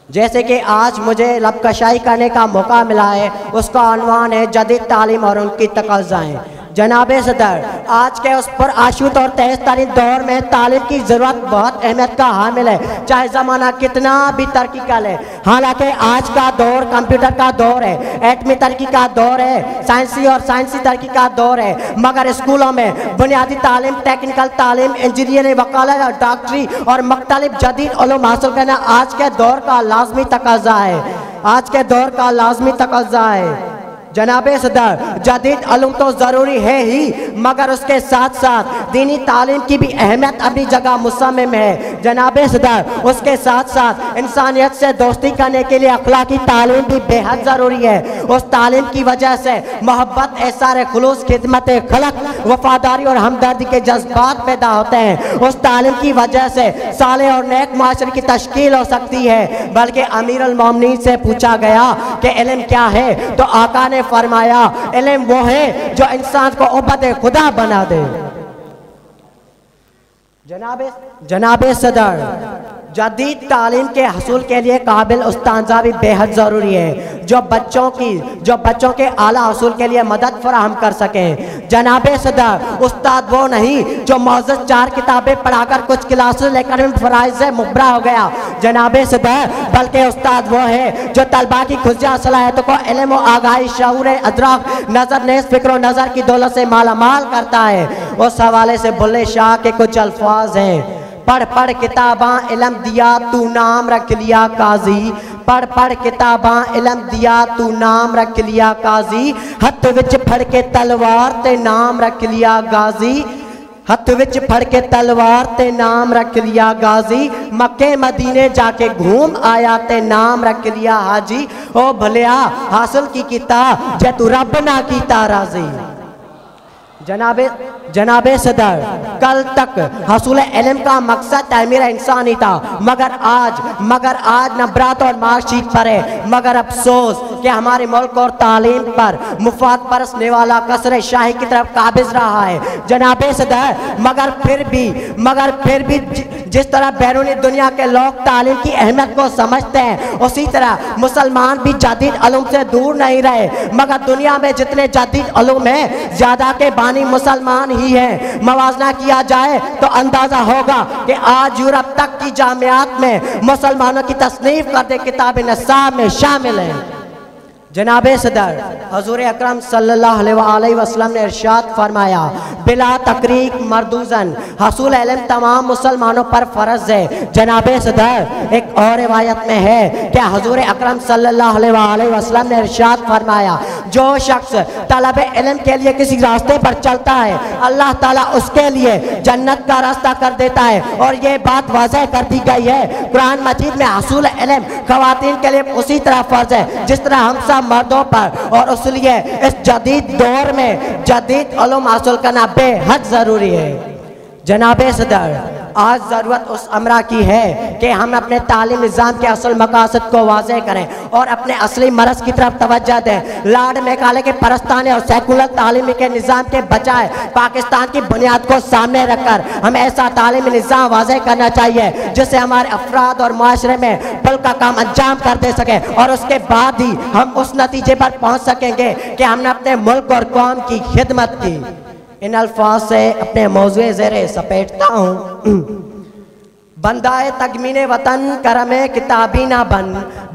जैसे कि आज मुझे लबकशाई करने का मौका मिला है, उसका अनवान है जदीद तालीम और उनकी तकाज़ाएँ। जनाब सदर, आज के उस पर आशुत और तेज़ तरीन दौर में तालीम की ज़रूरत बहुत अहमियत का हामिल है, चाहे ज़माना कितना भी तरक्की कर ले। हालांकि आज का दौर कंप्यूटर का दौर है, एटमी तरक्की का दौर है, साइंसी और साइंसी तरक्की का दौर है, मगर स्कूलों में बुनियादी तालीम, टेक्निकल तालीम, इंजीनियरिंग, वकालत और डॉक्टरी और मुख्तलिफ जदीद उलूम हासिल करना आज के दौर का लाजमी तकाज़ा है, आज के दौर का लाजमी तकाज़ा है। जनाब सदर, जदीद उलूम तो ज़रूरी है ही, मगर उसके साथ साथ दीनी तालीम की भी अहमियत अपनी जगह मुसम्मम है। जनाब सदर, उसके साथ साथ इंसानियत से दोस्ती करने के लिए अखलाकी तालीम भी बेहद ज़रूरी है। उस तालीम की वजह से मोहब्बत, एहसार खुलूस, खिदमत खलक, वफादारी और हमदर्दी के जज्बात पैदा होते हैं। उस तालीम की वजह से साले और नेक मुआशरे की तश्कील हो सकती है। बल्कि अमीरुल मोमिनीन से पूछा गया कि इल्म क्या है, तो आका ने फरमाया, इल्म वो है जो इंसान को उबद खुदा बना दे। जनाब सदर, जदीद तालीम के हसूल के लिए काबिल उस्तादा भी बेहद ज़रूरी है, जो बच्चों के आला हसूल के लिए मदद फराहम कर सकें। जनाब सदर, उस्ताद वो नहीं जो मौजूद 4 किताबें पढ़ाकर कुछ क्लासेस लेकर फ़राइज़ से मुबरा हो गया। जनाब सदर, बल्कि उस्ताद वो है जो तलबा की खुशियाँ, सलाहियतों को इल्म व आगाही, शऊर अदराक, नज़र नेज़ फ़िक्र नज़र की दौलत से मालामाल करता है। उस हवाले से बुल्ले शाह के कुछ अल्फाज हैं। पढ़ पढ़ किताबां इलम दिया तू नाम रख लिया काजी, पढ़ पढ़ किताबां इलम दिया तू नाम रख लिया काजी, हथ विच फड़ के तलवार ते नाम रख लिया गाजी, हथ विच फड़ के तलवार ते नाम रख लिया गाजी, मक्के मदीने जाके घूम आया ते नाम रख लिया हाजी, ओ भलिया हासिल की कीता जे तू रब ना कीता राजी। जनाब सदर, कल तक हसूल इल्म का मकसद तमीर इंसानी था, मगर आज नंबरात और मार्कशीट पर है। मगर अफसोस कि हमारे मुल्क और तालीम पर मुफाद परसने वाला कसर शाही की तरफ काबिज रहा है। जनाब सदर, मगर फिर भी जिस तरह बैरूनी दुनिया के लोग तालीम की अहमियत को समझते हैं, उसी तरह मुसलमान भी जदीद उलूम से दूर नहीं रहे। मगर दुनिया में जितने जदीद उलूम हैं, ज़्यादा के बानी मुसलमान ही हैं। मवाजना किया जाए तो अंदाज़ा होगा कि आज यूरोप तक की जामियात में मुसलमानों की तसनीफ करते किताब निसाब में शामिल हैं। जनाब सदर, हजूर अकरम सल्लल्लाहु अलैहि वसल्लम ने इरशाद फरमाया, बिला तकरीक मर्दूजन हसूल इल्म तमाम मुसलमानों पर फ़र्ज़ है। जनाब सदर, एक और रिवायत में है कि हजूर अकरम सल्लल्लाहु अलैहि वसल्लम ने इरशाद फरमाया, जो शख्स तलब इल्म के लिए किसी रास्ते पर चलता है, अल्लाह ताला उसके लिए जन्नत का रास्ता कर देता है। और ये बात वाज़ेह कर दी गई है कुरान मजीद में, हसूल इल्म ख़वातीन के लिए उसी तरह फ़र्ज़ है जिस तरह हम सब मर्दों पर, और इसलिए इस जदीद दौर में जदीद उलूम हासिल करना बेहद ज़रूरी है। जनाब सदर, आज ज़रूरत उस अमरा की है कि हम अपने तालीम निज़ाम के असल मकासद को वाज़ेह करें और अपने असली मरज़ की तरफ तवज्जो दें। लाड मेकाले के परस्ताने और सेकुलर तालीम के निज़ाम के बजाय पाकिस्तान की बुनियाद को सामने रखकर हमें ऐसा तालीमी निज़ाम वाज़ेह करना चाहिए जिससे हमारे अफराद और माशरे में पुल का काम अंजाम कर दे सकें और उसके बाद ही हम उस नतीजे पर पहुँच सकेंगे कि हमने अपने मुल्क और कौम की खिदमत की। इन अल्फाज से अपने मौज़ू ज़ेरे सपेटता हूँ। बंदाए तकमीन वतन करमे किताबी ना बन,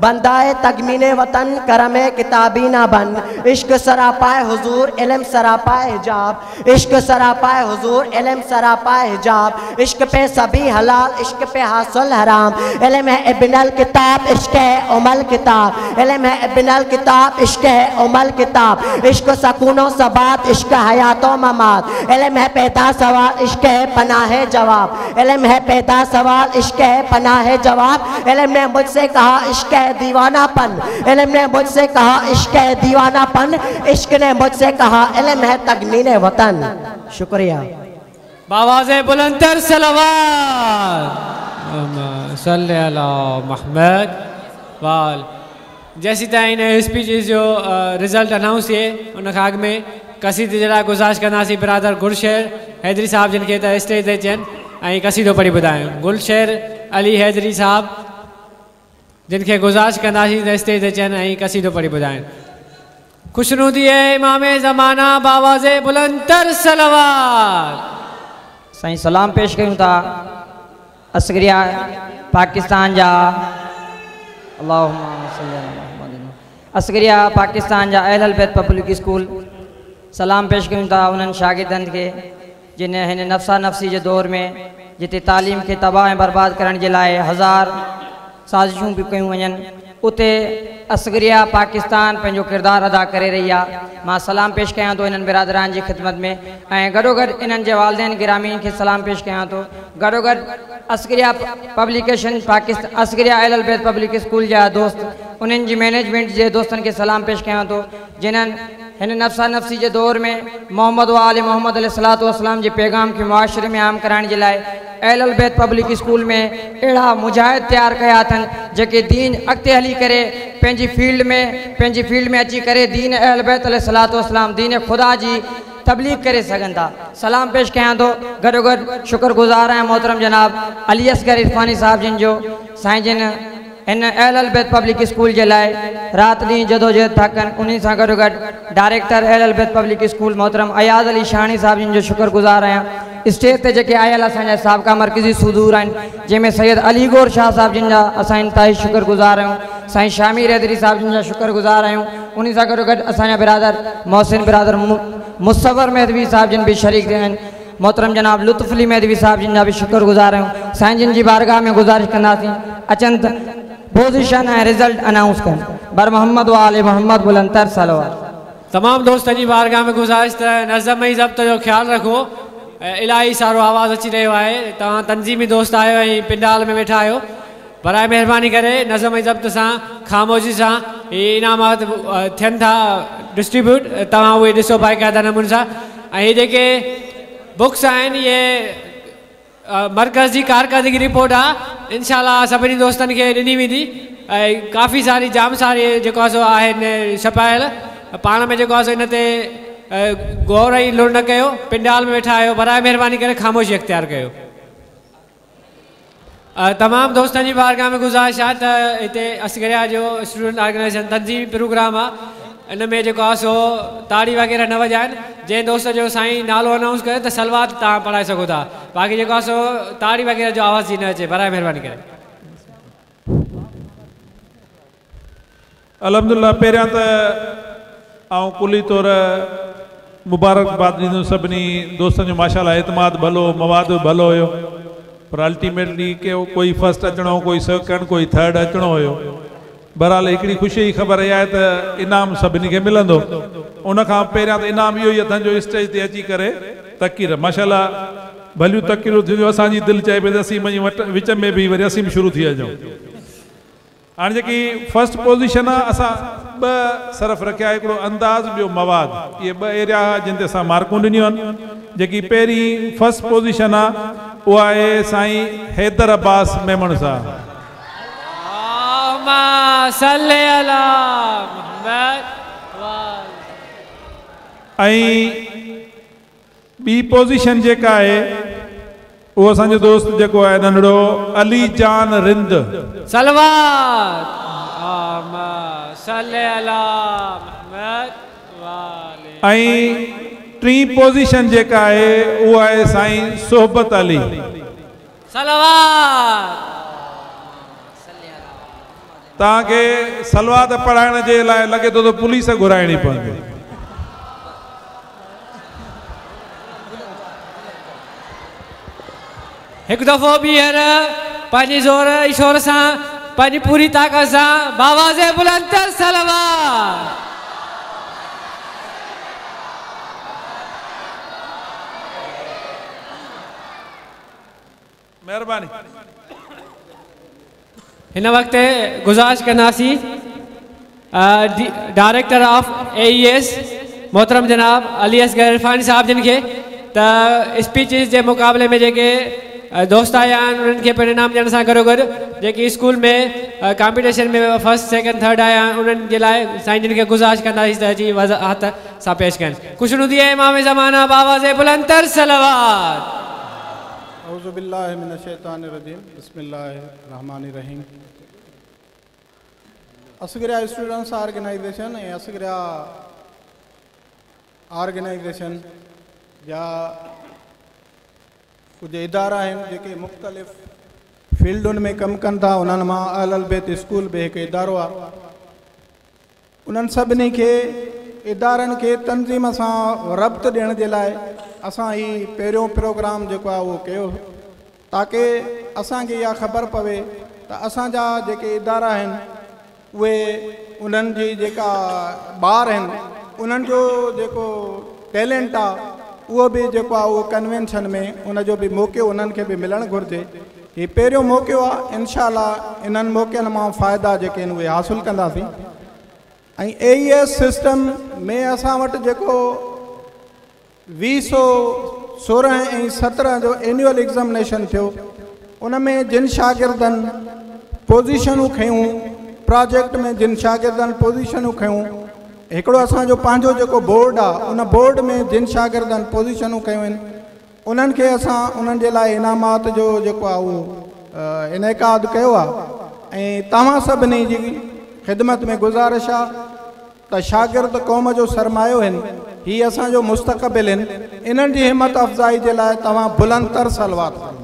बंदाए तकमीन वतन करमे किताबी ना बन, इश्क सरापाए हुजूर इल्म सरापाए हिजाब, इश्क सरापाए हुजूर इल्म सरापाए हिजाब, इश्क पे सभी हलाल इश्क पे हासिल हराम, इल्म है इब्नल किताब इश्क है उमल किताब, इल्म है इब्नल किताब इश्क है उमल किताब, इश्क सकूनो सबात इश्क हयातो ममात, इल्म है पैदा सवाल इश्क है पनाह जवाब, इल्म है पैदा सवाल इश्क है पनाह जवाब, इल्म ने मुझसे कहा इश्क है दीवानापन, इल्म ने मुझसे कहा इश्क है दीवानापन, इश्क ने मुझसे कहा इल्म है तकमीन वतन। शुक्रिया। बावाज़े बुलंदर सलावत सल्ली अला मुहम्मद वाल। जैसी ताईं इन स्पीच जो रिज़ल्ट अनाउंस थिए उन खां अॻु में कसीदे जे लाइ गुज़ारिश कंदासीं बिरादर गुलशेर हैदरी साहब जिन खे त स्टेज ते अचनि ऐं कसीदो पढ़ी ॿुधायूं। गुलशेर अली हैदरी साहब जिन खे गुज़ारिश कंदासीं त स्टेज ते अचनि ऐं कसीदो पढ़ी ॿुधाइनि। खुशनुदी इमाम ज़माना बावाज़े बुलंदर सलावत। साईं सलाम पेश कयूं था असगरिया पाकिस्तान जा, असगरिया पाकिस्तान जा अहल बैत पब्लिक स्कूल। सलाम पेश कयूं था उन्हनि शागिर्दनि खे जिन हिन नफ़्सा नफ़्सी जे दौर में जिते तालीम खे तबाह ऐं बर्बाद करण जे लाइ हज़ार साज़िशूं बि कयूं वञनि, उते असगरिया पाकिस्तान पंहिंजो किरदारु अदा करे रही आहे। मां सलाम पेश कयां थो इन्हनि बिरादरान जी ख़िदमत में ऐं गॾोगॾु इन्हनि जे वालदेन गिरामीन खे सलाम पेश कयां थो। गॾोगॾु असगरिया पब्लिकेशन पाकिस्तान असगरिया अहल बैत पब्लिक स्कूल जा दोस्त उन्हनि जी मैनेजमेंट जे दोस्तनि खे सलाम पेश कयां थो जिन्हनि हिन नफ़्सा नफ़्सी जे दौर में मोहम्मद व आले मोहम्मद अलैहिस्सलातु वस्सलाम जे पैगाम खे मुआशरे में आम कराइण जे लाइ अहल बैत पब्लिक स्कूल में अहिड़ा मुजाहिद तयारु कया अथनि जेके दीन अॻिते हली करे पंहिंजी फील्ड में अची करे दीन अहल बैत अलैहिस्सलातु वस्सलाम दीन ख़ुदा जी तबलीग करे सघनि था। सलाम पेश कयां थो। गॾोगॾु शुक्रगुज़ार आहियां मोहतरम जनाब अली असगर इरफानी साहब जिन जो साईं जिन इन अहल बैत पब्लिक स्कूल जे लाइ राति ॾींहुं जदोजहद था कनि। उन्हीं सां गॾोगॾु डायरेक्टर अहल बैत पब्लिक स्कूल मोहतरम अयाज़ अली शाहणी साहब जिन जो शुक्रगुज़ार आहियां। स्टेज ते जेके आयल असांजा साबिक़ा मरकज़ी सुदूर आहिनि जंहिंमें सैयद अली गौर शाह साहब जिन जा असां इंतिहाई शुक्रगुज़ार आहियूं, साईं शामी हैदरी साहब जिन जा शुक्रगुज़ार आहियूं। उन सां गॾोगॾु असांजा बिरादर मोहसिन बिरादर मुसवर मेहदवी साहब जिन बि शरीक थिया आहिनि, मोहतरम जनाब लुत्फ़ अली मेहदवी साहब जिन जा बि शुक्रगुज़ार आहियूं। साईं जिन जी बारगाह में गुज़ारिश कंदासीं अचनि त पोज़ीशन ऐं रिज़ल्ट अनाउंस कनि। बर मोहम्मद व आले मोहम्मद बुलंदर सलावत। तमामु दोस्तनि जी बारगाह में गुज़ारिश त नज़म ऐं ज़ब्त जो ख़्यालु रखो। इलाही सारो आवाज़ अची रहियो आहे, तव्हां तंज़ीमी दोस्त आहियो ऐं पिंडाल में वेठा आहियो, बराए महिरबानी करे नज़म ऐं ज़ब्त सां ख़ामोशी सां इहे इनामात थियनि था डिस्ट्रीब्यूट, तव्हां उहे ॾिसो बाक़ाइदा नमूने सां। ऐं इहे जेके बुक्स आहिनि इहे मर्कज़ जी कारकर्दगी रिपोर्ट आहे, इनशा सभिनी दोस्तनि खे ॾिनी वेंदी। ऐं काफ़ी सारी जाम सारी जेको आहे सो आहिनि छपायल, पाण में जेको आहे सो इन ते गौर ऐं लुड़ न कयो, पिंडाल में वेठा आहियो, बराए महिरबानी करे ख़ामोशी अख़्तियार कयो। तमामु दोस्तनि जी बारगाह में गुज़ारिश आहे त हिते असगरिया जो स्टूडेंट ऑर्गेनाइज़ेशन तंज़ीमी प्रोग्राम आहे, इन में जेको आहे सो ताड़ी वग़ैरह न वॼाइनि। जंहिं दोस्त जो साईं नालो अनाउंस करे त सलवात तव्हां पढ़ाए सघो था, बाक़ी जेको आहे सो ताड़ी वग़ैरह जो आवाज़ ई न अचे, बराए महिरबानी करे। अल्हम्दुलिल्लाह, पहिरियां त आउं कुली तौर मुबारकबाद ॾींदुसि सभिनी दोस्तनि जो। माशाअल्लाह एतमाद भलो, मवाद भलो हुयो, पर अल्टीमेटली के कोई फर्स्ट अचिणो, कोई सेकंड, कोई थर्ड अचिणो हुयो। बहरहाल हिकिड़ी ख़ुशी जी ख़बर इहा आहे त इनाम सभिनी खे मिलंदो। उन खां पहिरियां त इनाम इहो ई अथनि जो स्टेज ते अची करे तकीर, माशाअल्लाह भलियूं तकीरूं थियूं। असांजी दिलि चए पई त असीं वञी विच में बि वरी असीं बि शुरू थी अचूं। हाणे जेकी फर्स्ट पोज़ीशन आहे, असां ॿ सरफ़ रखिया, हिकिड़ो अंदाज़ ॿियो मवाद। इहे ॿ एरिया जिन ते असां मार्कूं ॾिनियूं आहिनि। जेकी पहिरीं फर्स्ट पोज़ीशन आहे उहा आहे साईं हैदर अब्बास मेमण साहब। ऐं ॿी पोज़ीशन जेका आहे उहो असांजो दोस्त जेको आहे नंढड़ो अली जान रिंद। सलवात ऐं टीं पोज़ीशन जेका आहे उहा आहे साईं सोहबत अली। सलवात। तव्हांखे सलवात पढ़ाइण जे लाइ लॻे थो त पुलिस घुराइणी पवंदी। हिकु दफ़ो ॿीहर पंहिंजी ज़ोर शोर सां पंहिंजी पूरी ताक़त सां बावाज़े बुलंद तर सलवात। महिरबानी। हिन वक़्तु गुज़ारिश कंदासीं डायरेक्टर ऑफ AES मोहतरम जनाब अली असगर इरफानी साहब जिन खे त स्पीचेस जे मुक़ाबले में जेके दोस्त आया आहिनि उन्हनि खे पिणु इनाम ॾियण सां गॾोगॾु जेके स्कूल में कॉम्पिटिशन में फर्स्ट सेकंड थर्ड आया आहिनि उन्हनि जे लाइ साईं जिन खे गुज़ारिश कंदासीं त अची वज़ाहत सां पेश कनि। ख़ुशनुदी इमाम ज़माना बावाज़े बुलंद तर सलवात। औज़ु बिल्लाहि मिनश-शैतानिर-रजीम। बिस्मिल्लाहिर-रहमानिर-रहीम। असगरिया स्टूडेंट्स ऑर्गेनाइजेशन ऐं असगरिया ऑर्गेनाइजेशन जा कुझु इदारा आहिनि जेके मुख़्तलिफ़ फील्डुनि में कमु कनि था, उन्हनि मां अहल बैत स्कूल बि हिकु इदारो आहे। उन्हनि सभिनी खे इदारनि खे तंज़ीम सां रब्त ॾियण जे लाइ असां हीउ पहिरियों प्रोग्राम जेको आहे उहो कयो, ताकि असांखे इहा ख़बर पवे त असांजा जेके इदारा आहिनि उहे उन्हनि जी जेका ॿार आहिनि उन्हनि जो जेको टैलेंट आहे उहो बि जेको आहे उहो कन्वेंशन में उनजो बि मौक़ो उन्हनि खे बि मिलणु घुरिजे। हीउ पहिरियों मौक़ो आहे, इनशा इन्हनि मौक़नि मां फ़ाइदा जेके आहिनि उहे हासिलु कंदासीं। ऐं AES system में असां वटि जेको 2016 ऐं 17 जो एनुअल एग्ज़ामिनेशन थियो, उन में जिन शागिर्दनि पोज़ीशनूं खयूं, प्रोजेक्ट में जिन शागिर्दनि पोज़ीशनूं खयूं, हिकिड़ो असांजो पंहिंजो जेको बोर्ड आहे उन बोर्ड में जिन शागिर्दनि पोज़ीशनूं कयूं आहिनि उन्हनि खे असां उन्हनि जे लाइ इनामात जो जेको आहे उहो इनेकाद कयो आहे। ऐं तव्हां सभिनी जी ख़िदमत में गुज़ारिश आहे त शागिर्द क़ौम जो सरमायो आहिनि, हीउ असांजो मुस्तक़बिल आहिनि, इन्हनि जी हिमत अफ़ज़ाई जे लाइ तव्हां बुलंद तर सलवात कयो।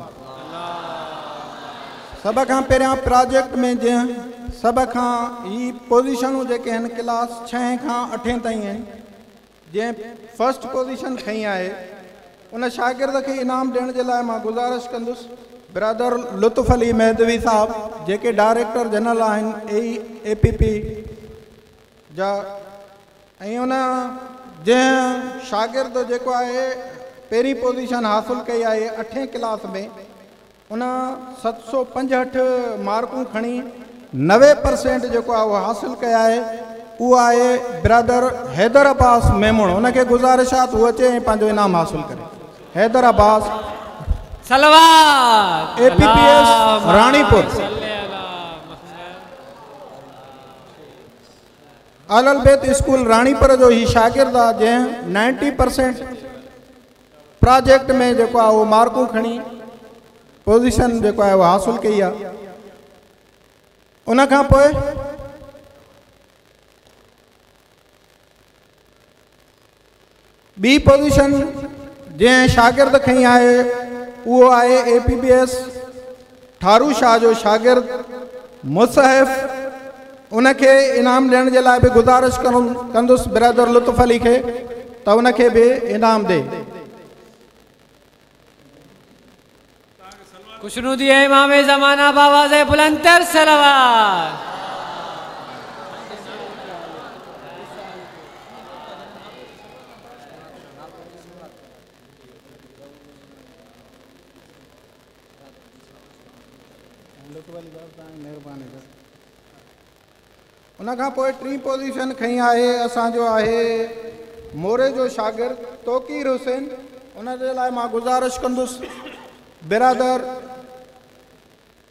सभ खां पहिरियां प्रोजेक्ट में जंहिं सभ खां ही पोज़ीशनूं जेके आहिनि क्लास 6 खां 8 ताईं आहिनि, जंहिं फर्स्ट पोज़ीशन खई आहे उन शागिर्द खे इनाम ॾियण जे लाइ मां गुज़ारिश कंदुसि ब्रदर लुत्फ़ अली मेहदवी साहब जेके डायरेक्टर जनरल आहिनि APP जा, ऐं उन जंहिं शागिर्द जेको आहे पहिरीं पोज़ीशन हासिलु कई आहे 8 क्लास में, उन 765 मार्कूं खणी 90% जेको आहे उहो हासिलु कया आहे, उहो आहे ब्रदर हैदर अब्बास मेमण। उनखे गुज़ारिश आहे त उहो अचे ऐं पंहिंजो इनाम हासिलु करे। Haidar Abbas सलवात APPS Ranipur. अहल बैत स्कूल रानीपुर जो हीउ शागिर्द आहे जंहिं 90% प्रोजेक्ट में जेको आहे उहो मार्कूं खणी पोज़ीशन जेको आहे उहो हासिलु कई आहे। उन खां पोइ ॿी पोज़ीशन जंहिं शागिर्द खई आहे उहो आहे APPS Tharu Shah जो शागिर्द मुसहिफ़, उनखे इनाम ॾियण जे लाइ बि गुज़ारिश कंदुसि ब्रदर लुत्फ़ अली खे त उनखे बि इनाम ॾे। खुशनुदी इमाम ज़माना बावाज़े बुलंद तर सलवात। उन खां पोइ टीं पोज़ीशन खई आहे असांजो आहे मोरे जो शागिर्द तौकीर हुसैन। उन जे लाइ मां गुज़ारिश कंदुसि बिरादर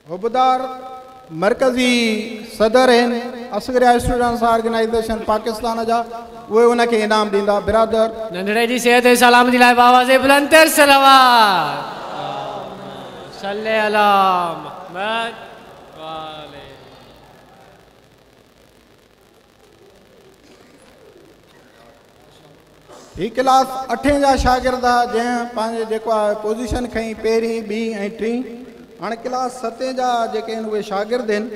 हुबदार मरकज़ी सदर आहिनि असगरिया स्टूडेंट्स ऑर्गेनाइज़ेशन पाकिस्तान जा, उहे उनखे इनाम ॾींदा। बिरादर नंढड़े जी सेहत ऐं सलामती लाइ आवाज़ बुलंद तर सलावत सल्ले अला मुहम्मद वाले। ही क्लास अठें जा शागिर्द जंहिं पंहिंजे जेको आहे पोज़ीशन खई पहिरीं ॿी ऐं टीं। हाणे क्लास सतें जा जेके आहिनि उहे शागिर्द आहिनि।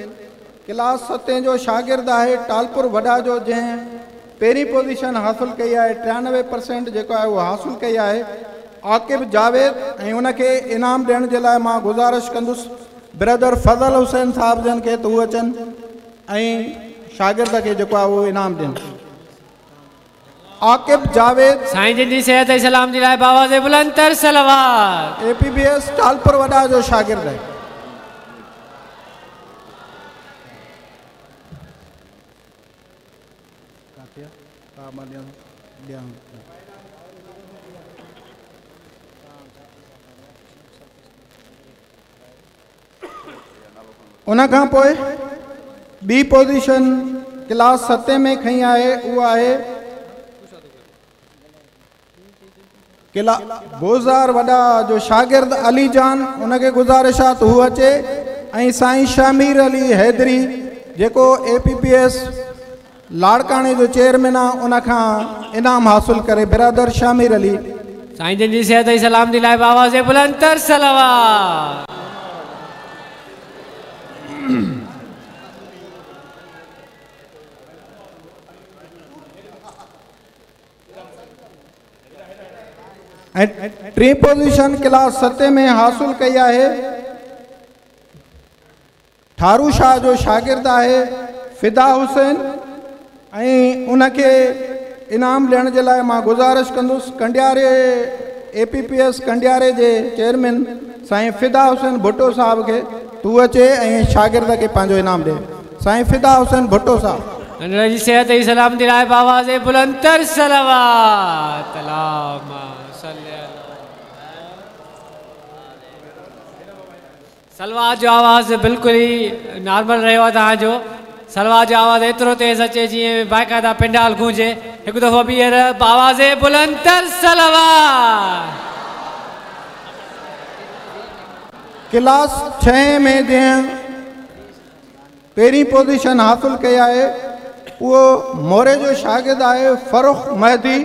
क्लास सतें जो शागिर्द आहे टालपुर वॾा जो, जंहिं पहिरीं पोज़ीशन हासिल कई आहे, 93% जेको आहे उहो हासिल कई आहे, आकिब जावेद। ऐं उनखे इनाम ॾियण जे लाइ मां गुज़ारिश कंदुसि ब्रदर फज़ल हुसैन साहिब जन खे त हू अचनि ऐं शागिर्द खे जेको आहे उहो इनाम ॾियनि। आकिब जावेद साईं जिन जी सेहत ऐं सलामती लाइ आवाज़ बुलंद तर सलावत। APBS Talpur वॾा जो शागिर्द आहे। उन खां पोइ ॿी पोज़ीशन क्लास सतें में खई आहे, उहा आहे किला बोज़ार वॾा जो शागिर्द अली जान। उनखे गुज़ारिश आहे त हू अचे ऐं साईं शामीर अली हैदरी जेको APPS लाड़काणे जो चेयरमैन आहे, उन खां इनाम हासिल करे। बिरादर शामीर अली साईं जिन जी सेहत ऐं सलामती लाइ आवाज़ बुलंद तर सलावत। ऐं टीं पोज़ीशन क्लास सतें में हासिल कई आहे ठारू शाह जो शागिर्द आहे फिदा हुसैन। ऐं उनखे इनाम ॾियण जे लाइ मां गुज़ारिश कंदुसि कंडियारे APPS कंडियारे जे चेयरमैन साईं फिदा हुसैन भुट्टो साहिब खे तूं अचे ऐं शागिर्द खे पंहिंजो इनाम ॾे। साईं फिदा हुसैन भुट्टो साहिब नंढड़े जी सेहत ऐं सलामती लाइ आवाज़ बुलंद तर सलावत। सलवार जो आवाज़ बिल्कुलु ई नॉर्मल रहियो आहे तव्हांजो। सलवार जो आवाज़ एतिरो तेज़ अचे जीअं बाक़ाइदा पंडाल गूंजे। हिकु दफ़ो ॿीहर आवाज़ बुलंद तर सलवार। क्लास 6 में जंहिं पहिरीं पोज़ीशन हासिल कई आहे उहो मोरे जो शागिर्द आहे फरुख महदी।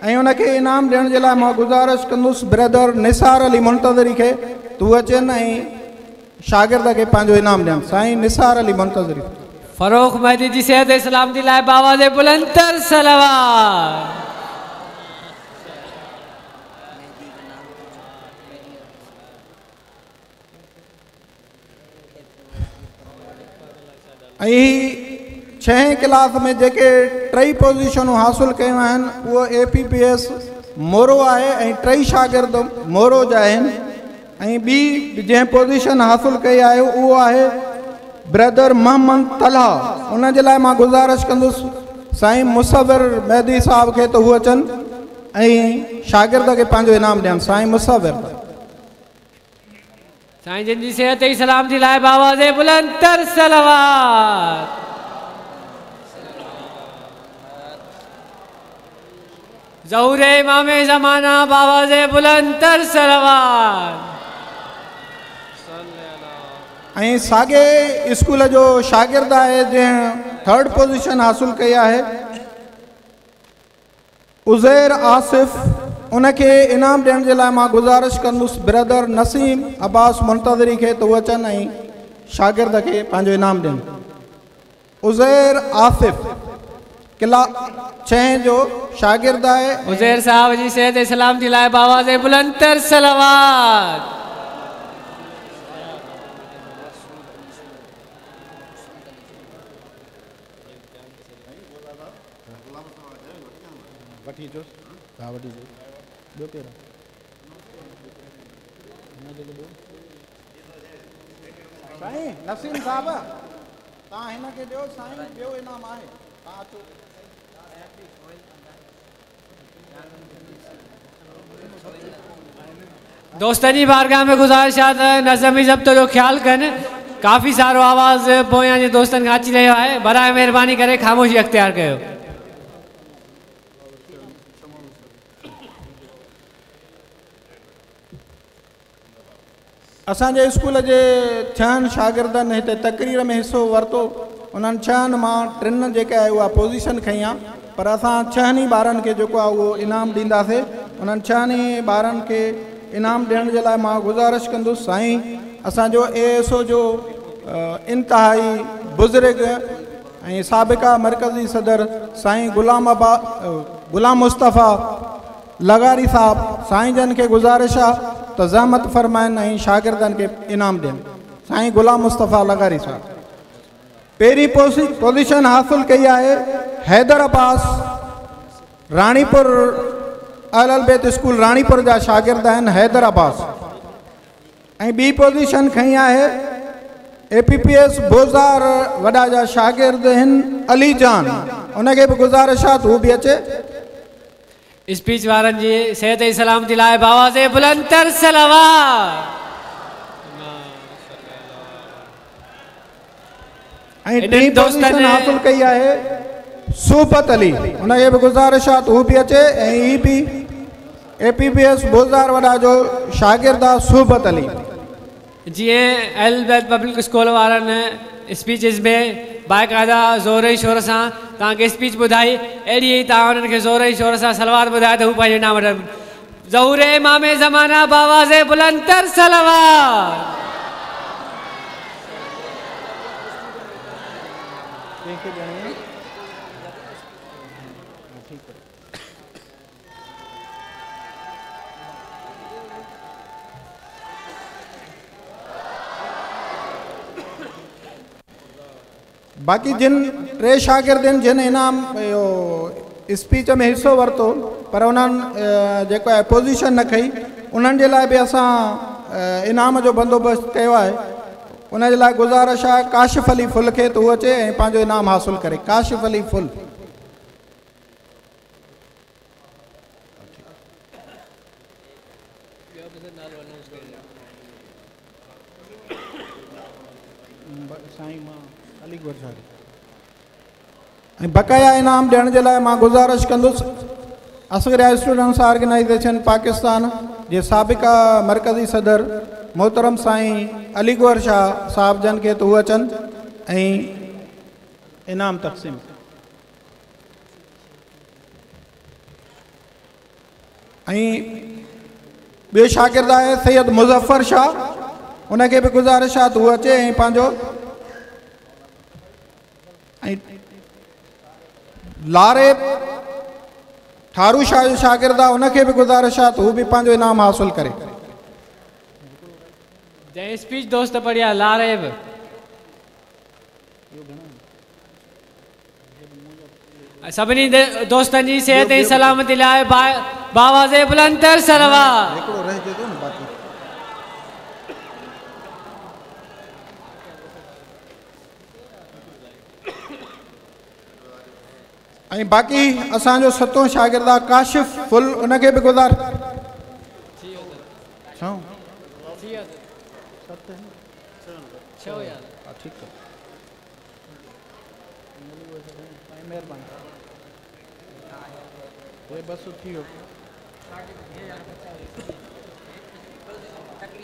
ऐं उनखे इनाम ॾियण जे लाइ मां गुज़ारिश कंदुसि ब्रदर निसार अली मुंतज़री खे तूं अचनि ऐं शागिर्द खे पंहिंजो इनाम ॾियनि। साईं निसार अली मुंतज़री फरोख महदी जी सेहत ऐं सलामती लाइ आवाज़ बुलंद तर सलावत। ऐं छहें क्लास में जेके टई पोज़ीशनूं हासिल कयूं आहिनि उहो APPS मोरो आहे ऐं टई शागिर्द मोरो जा आहिनि। ऐं ॿी जंहिं पोज़ीशन हासिल कई आहे उहो आहे ब्रदर मोहम्मद तलहा। उन जे लाइ मां गुज़ारिश कंदुसि साईं मुसविर मेहदी साहिब खे त हू अचनि ऐं शागिर्द खे पंहिंजो इनाम ॾियनि। साईं मुसविर साईं जिन जी सेहत ऐं सलामती लाइ आवाज़ बुलंद तर सलावत। ज़हूर इमाम ज़माना आवाज़ बुलंद तर सलावत। ऐं साॻे स्कूल जो शागिर्द आहे जंहिं थर्ड पोज़ीशन हासिल कई आहे उज़ैर आसिफ। उनखे इनाम ॾियण जे लाइ मां गुज़ारिश कंदुसि ब्रदर नसीम अब्बास मुंतज़री खे त हू अचनि ऐं शागिर्द खे पंहिंजो इनाम ॾियनि। उज़ैर आसिफ क्लास 6 जो शागिर्द आहे। उज़ैर साहब जी सेहत ऐं सलामती लाइ आवाज़ बुलंद तर सलावत। वठी अचोस, तव्हां वठी अचो। ॿियो केरु आहे? साईं नसीम साहिब, तव्हां हिन खे ॾियो साईं, ॿियो इनाम आहे, तव्हां अचो। दोस्तनि जी बारगाह में गुज़ारिश आहे त नज़म ज़ब्त जो ख़्यालु कनि। काफ़ी सारो आवाज़ पोयां जे दोस्तनि खां अची रहियो आहे, बराए महिरबानी करे ख़ामोशी अख़्तियार कयो। असांजे स्कूल जे 6 शागिर्दनि हिते तकरीर में हिसो वरितो, उन्हनि 6 मां 3 जेका आहे उहा पोज़ीशन खई आहे, पर असां 6 ई ॿारनि खे जेको आहे उहो इनाम ॾींदासीं। उन्हनि 6 ई ॿारनि खे इनाम ॾियण जे लाइ मां गुज़ारिश कंदुसि साईं असांजो ASO जो इंतिहाई बुज़ुर्ग ऐं साबिक़ा मरकज़ी सदर साईं ग़ुलाम मुस्तफ़ा लगारी साहब, साईं जन खे गुज़ारिश आहे त ज़हमत फरमाइनि ऐं शागिर्दनि खे इनाम ॾियनि। साईं ग़ुलाम मुस्तफ़ा लगारी साहब पहिरीं पोज़ीशन हासिल कई आहे हैदर अब्बास राणीपुर अहल बैत स्कूल राणीपुर जा शागिर्द आहिनि हैदर अब्बास, ऐं ॿी पोज़ीशन खई आहे APPS बोज़ार वॾा जा शागिर्द आहिनि अली जान, उनखे बि गुज़ारिश आहे त हू बि अचे। स्पीच वारनि जी सिहत ऐं सलामती लाइ बावाज़े बुलंद तर सलावत। ऐं टीं पोज़ीशन हासिल कई आहे सूफत अली, उनखे बि गुज़ारिश आहे त हू बि अचे। ऐं हीउ बि APPS बोज़ार वॾा जो शागिर्द आहे सूफत अली। जीअं अहल बैत पब्लिक स्कूल वारनि स्पीचेस में बाक़ाइदा ज़ोर शोर सां तव्हांखे स्पीच ॿुधाई, अहिड़ी ई तव्हां उन्हनि खे ज़ोर शोर सां सलवार ॿुधाए त हू पंहिंजो इनाम वठनि। ज़हूर इमाम ज़माना बावाज़े बुलंद तर सलवार। बाक़ी जिन टे शागिर्द आहिनि जिन इनाम इहो स्पीच में हिसो वरितो पर उन्हनि जेको आहे पोज़ीशन न खई, उन्हनि जे लाइ बि असां इनाम जो बंदोबस्तु कयो आहे। उन जे लाइ गुज़ारिश आहे काशिफ़ अली फुल खे त उहो अचे ऐं पंहिंजो इनाम हासिल करे। काशिफ़ अली फुल। ऐं बक़ाया इनाम ॾियण जे लाइ मां गुज़ारिश कंदुसि असगरिया स्टूडेंट्स ऑर्गेनाइज़ेशन पाकिस्तान जे साबिक़ा मरकज़ी सदर मोहतरम साईं अली गौहर शाह साहब जन खे त हू अचनि ऐं इनाम तक़सीम। ऐं ॿियो शागिर्द आहे सैयद मुज़फ़र शाह, उनखे बि गुज़ारिश आहे त हू अचे ऐं पंहिंजो। ऐं लारे ठारू शाह जो शागिर्द आहे उनखे बि गुज़ारिश आहे त हू बि पंहिंजो इनाम हासिल करे। जंहिं स्पीच दोस्त पढ़िया लारेब सभिनी दोस्तनि जी सिहत ऐं सलामती लाइ बावाज़े बुलंद तर सलवार। ऐं बाक़ी असांजो सतों शागिर्द आहे काशिफ़ फुल, उनखे बि गुज़ार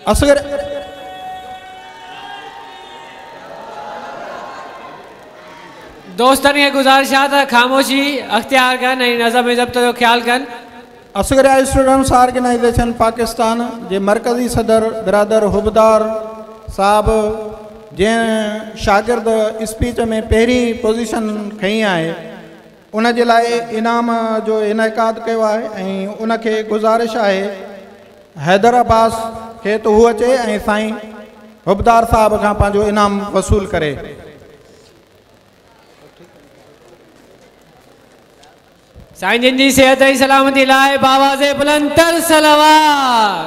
असगर दोस्तनि खे गुज़ारिश आहे त ख़ामोशी अख़्तियार कनि ऐं नज़म ज़ब्त जो ख़्यालु कनि। असगरिया स्टूडेंट्स ऑर्गेनाइज़ेशन पाकिस्तान जे मरकज़ी सदर बिरादर हुबदार साहब जंहिं शागिर्द स्पीच में पहिरीं पोज़ीशन खई आहे उन जे लाइ इनाम जो इनेकाद कयो आहे ऐं उनखे गुज़ारिश आहे हैदर अब्बास खे त हू अचे ऐं साईं हुबदार साहब खां पंहिंजो इनाम वसूल करे। साईं जिन जी सिहत ऐं सलामती लाइ बावाज़े बुलंद तर सलवार।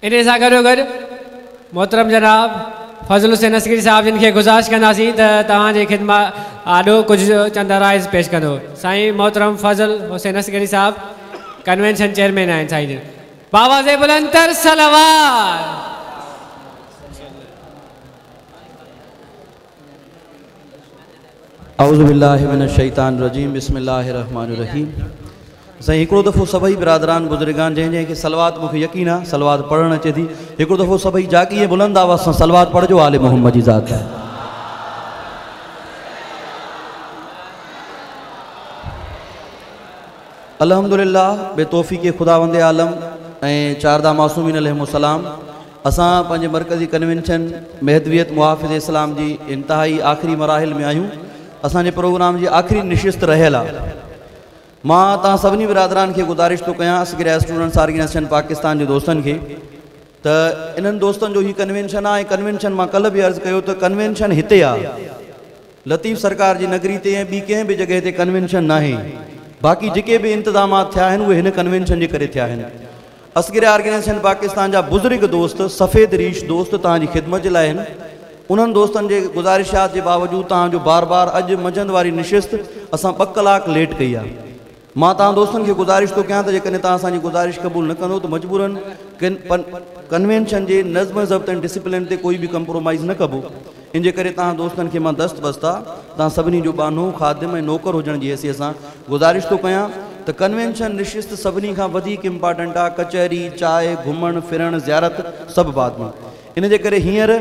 इन सां गॾोगॾु मोहतरम जनाब फज़ल हुसैन असगरी साहब जिन खे गुज़ारिश कंदासीं त तव्हांजी ख़िदमत आॾो कुझु चंद राइज़ पेश कंदो। साईं मोहतरम फज़ल हुसैन असगरी साहब कन्वेंशन चेयरमैन आहिनि। साईं जिन बावाज़े बुलंदर सलवार। औज़ु बिल्लाहि मिनश शैतानिर रजीम बिस्मिल्लाहिर रहमानिर रहीम। साईं हिकिड़ो दफ़ो सभई बिरादरान बुज़ुर्गान जंहिं जंहिंखे सलवात मूंखे यकीन आहे सलवात पढ़णु अचे थी, हिकिड़ो दफ़ो सभई जागी ऐं बुलंद आवाज़ सां सलवात पढ़िजो आले मोहम्मद जी ज़ात। अल्हम्दुलिल्लाह बेतौफ़ीक़ ख़ुदावंद आलम ऐं चारदा मासूमीन अलैहिमुस्सलाम असां पंहिंजे मरकज़ी कन्वेंशन महदवियत मुहाफ़िज़ इस्लाम जी इंतिहाई आख़िरी मराहिल में आहियूं। असांजे प्रोग्राम जी आख़िरी निशिस्त रहियल आहे। मां तव्हां सभिनी बिरादरान खे गुज़ारिश थो कयां असगिरा स्टूडेंट्स ऑर्गेनाइजेशन पाकिस्तान जे दोस्तनि खे त इन्हनि दोस्तनि जो हीउ कन्वेंशन आहे। ऐं कन्वेंशन मां कल्ह बि अर्ज़ु कयो त कन्वेंशन हिते आहे, लतीफ़ सरकार जी नगरी ते ऐं ॿी कंहिं बि जॻह ते कन्वेंशन न आहे। बाक़ी जेके बि इंतज़ामात थिया आहिनि उहे हिन कन्वेंशन जे करे थिया आहिनि। असगिरा ऑर्गेनाइजेशन पाकिस्तान जा बुज़ुर्ग दोस्त सफ़ेद रीश दोस्त तव्हांजी ख़िदमत जे लाइ आहिनि। उन्हनि दोस्तनि जे गुज़ारिशात जे बावजूद तव्हांजो बार बार अॼु मंझंदि वारी निशिस्त असां 2 कलाक लेट कई आहे। मां तव्हां दोस्तनि खे गुज़ारिश थो कयां त जेकॾहिं तव्हां असांजी गुज़ारिश क़बूल न कंदो त मजबूरन कन्वेंशन जे नज़्म ज़ब्त ऐं डिसिप्लिन ते कोई बि कंप्रोमाइज़ न कबो। इन जे करे तव्हां दोस्तनि खे मां दस्त बस्ता तव्हां सभिनी जो बानो ख़ादिम ऐं नौकर हुजण जी हैसियत सां गुज़ारिश थो कयां त कन्वेंशन निशिस्त सभिनी खां वधीक इम्पॉर्टेंट आहे। कचहरी, चांहि, घुमणु फिरणु, ज़ियारत सभु बाद में। इन जे करे हींअर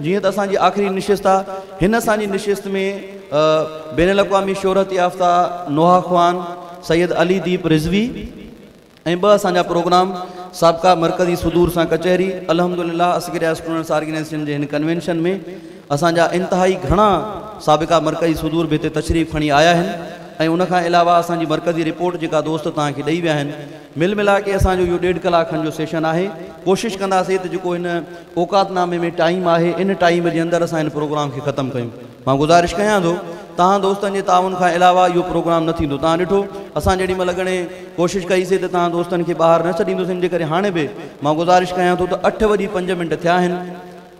जीअं त असांजी आख़िरी निशिस्त आहे, हिन असांजी निशिस्त में बैन अक़वामी शोहरत याफ़्ता नोहा ख़्वान सैयद अली दीप रिज़वी ऐं ॿ असांजा प्रोग्राम साबिक़ा मरकज़ी सुदूर सां कचहरी। अल्हम्दुलिल्लाह असगिरा स्टूडेंट्स ऑर्गेनाइजेशन जे हिन कन्वेंशन में असांजा इंतिहाई घणा साबिक़ा मरकज़ी सुदूर बि हिते तशरीफ़ खणी आया आहिनि ऐं उन खां अलावा असांजी मरकज़ी रिपोर्ट जेका दोस्त तव्हांखे ॾेई विया आहिनि, मिल मिला के असांजो इहो 1.5 कलाक खनि जो सेशन आहे। कोशिशि कंदासीं त जेको हिन औकातनामे में टाइम आहे इन टाइम जे अंदरि असां हिन प्रोग्राम खे ख़तमु कयूं। मां गुज़ारिश कयां थो तव्हां दोस्तनि जे ताउन खां अलावा इहो प्रोग्राम न थींदो। तव्हां ॾिठो असां जेॾी महिल घणे कोशिशि कईसीं त तव्हां दोस्तनि खे ॿाहिरि न छॾींदुसि। इन जे करे हाणे बि मां गुज़ारिश कयां थो त 8:05 थिया आहिनि,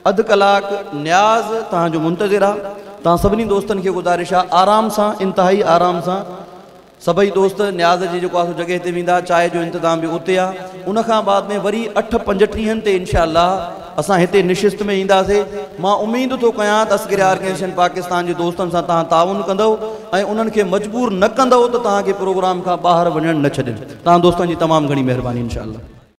अधु कलाक नियाज़ तव्हांजो मुंतज़िर आहे। तव्हां सभिनी दोस्तनि खे गुज़ारिश आहे आराम सां, इंतिहाई आराम सां सभई दोस्त नियाज़ जी जेको आहे सो जॻह ते वेंदा, चांहि जो इंतज़ाम बि उते आहे। उन खां बाद में वरी 8:35 ते इनशा असां हिते निशिस्त में ईंदासीं। मां उमेद थो कयां त असगिरा ऑर्गेनाइजेशन पाकिस्तान जे दोस्तनि सां तव्हां ताउन कंदव ऐं उन्हनि खे मजबूर न कंदव त तव्हांखे प्रोग्राम खां ॿाहिरि वञणु न छॾनि। तव्हां दोस्तनि जी तमामु घणी महिरबानी इंशा।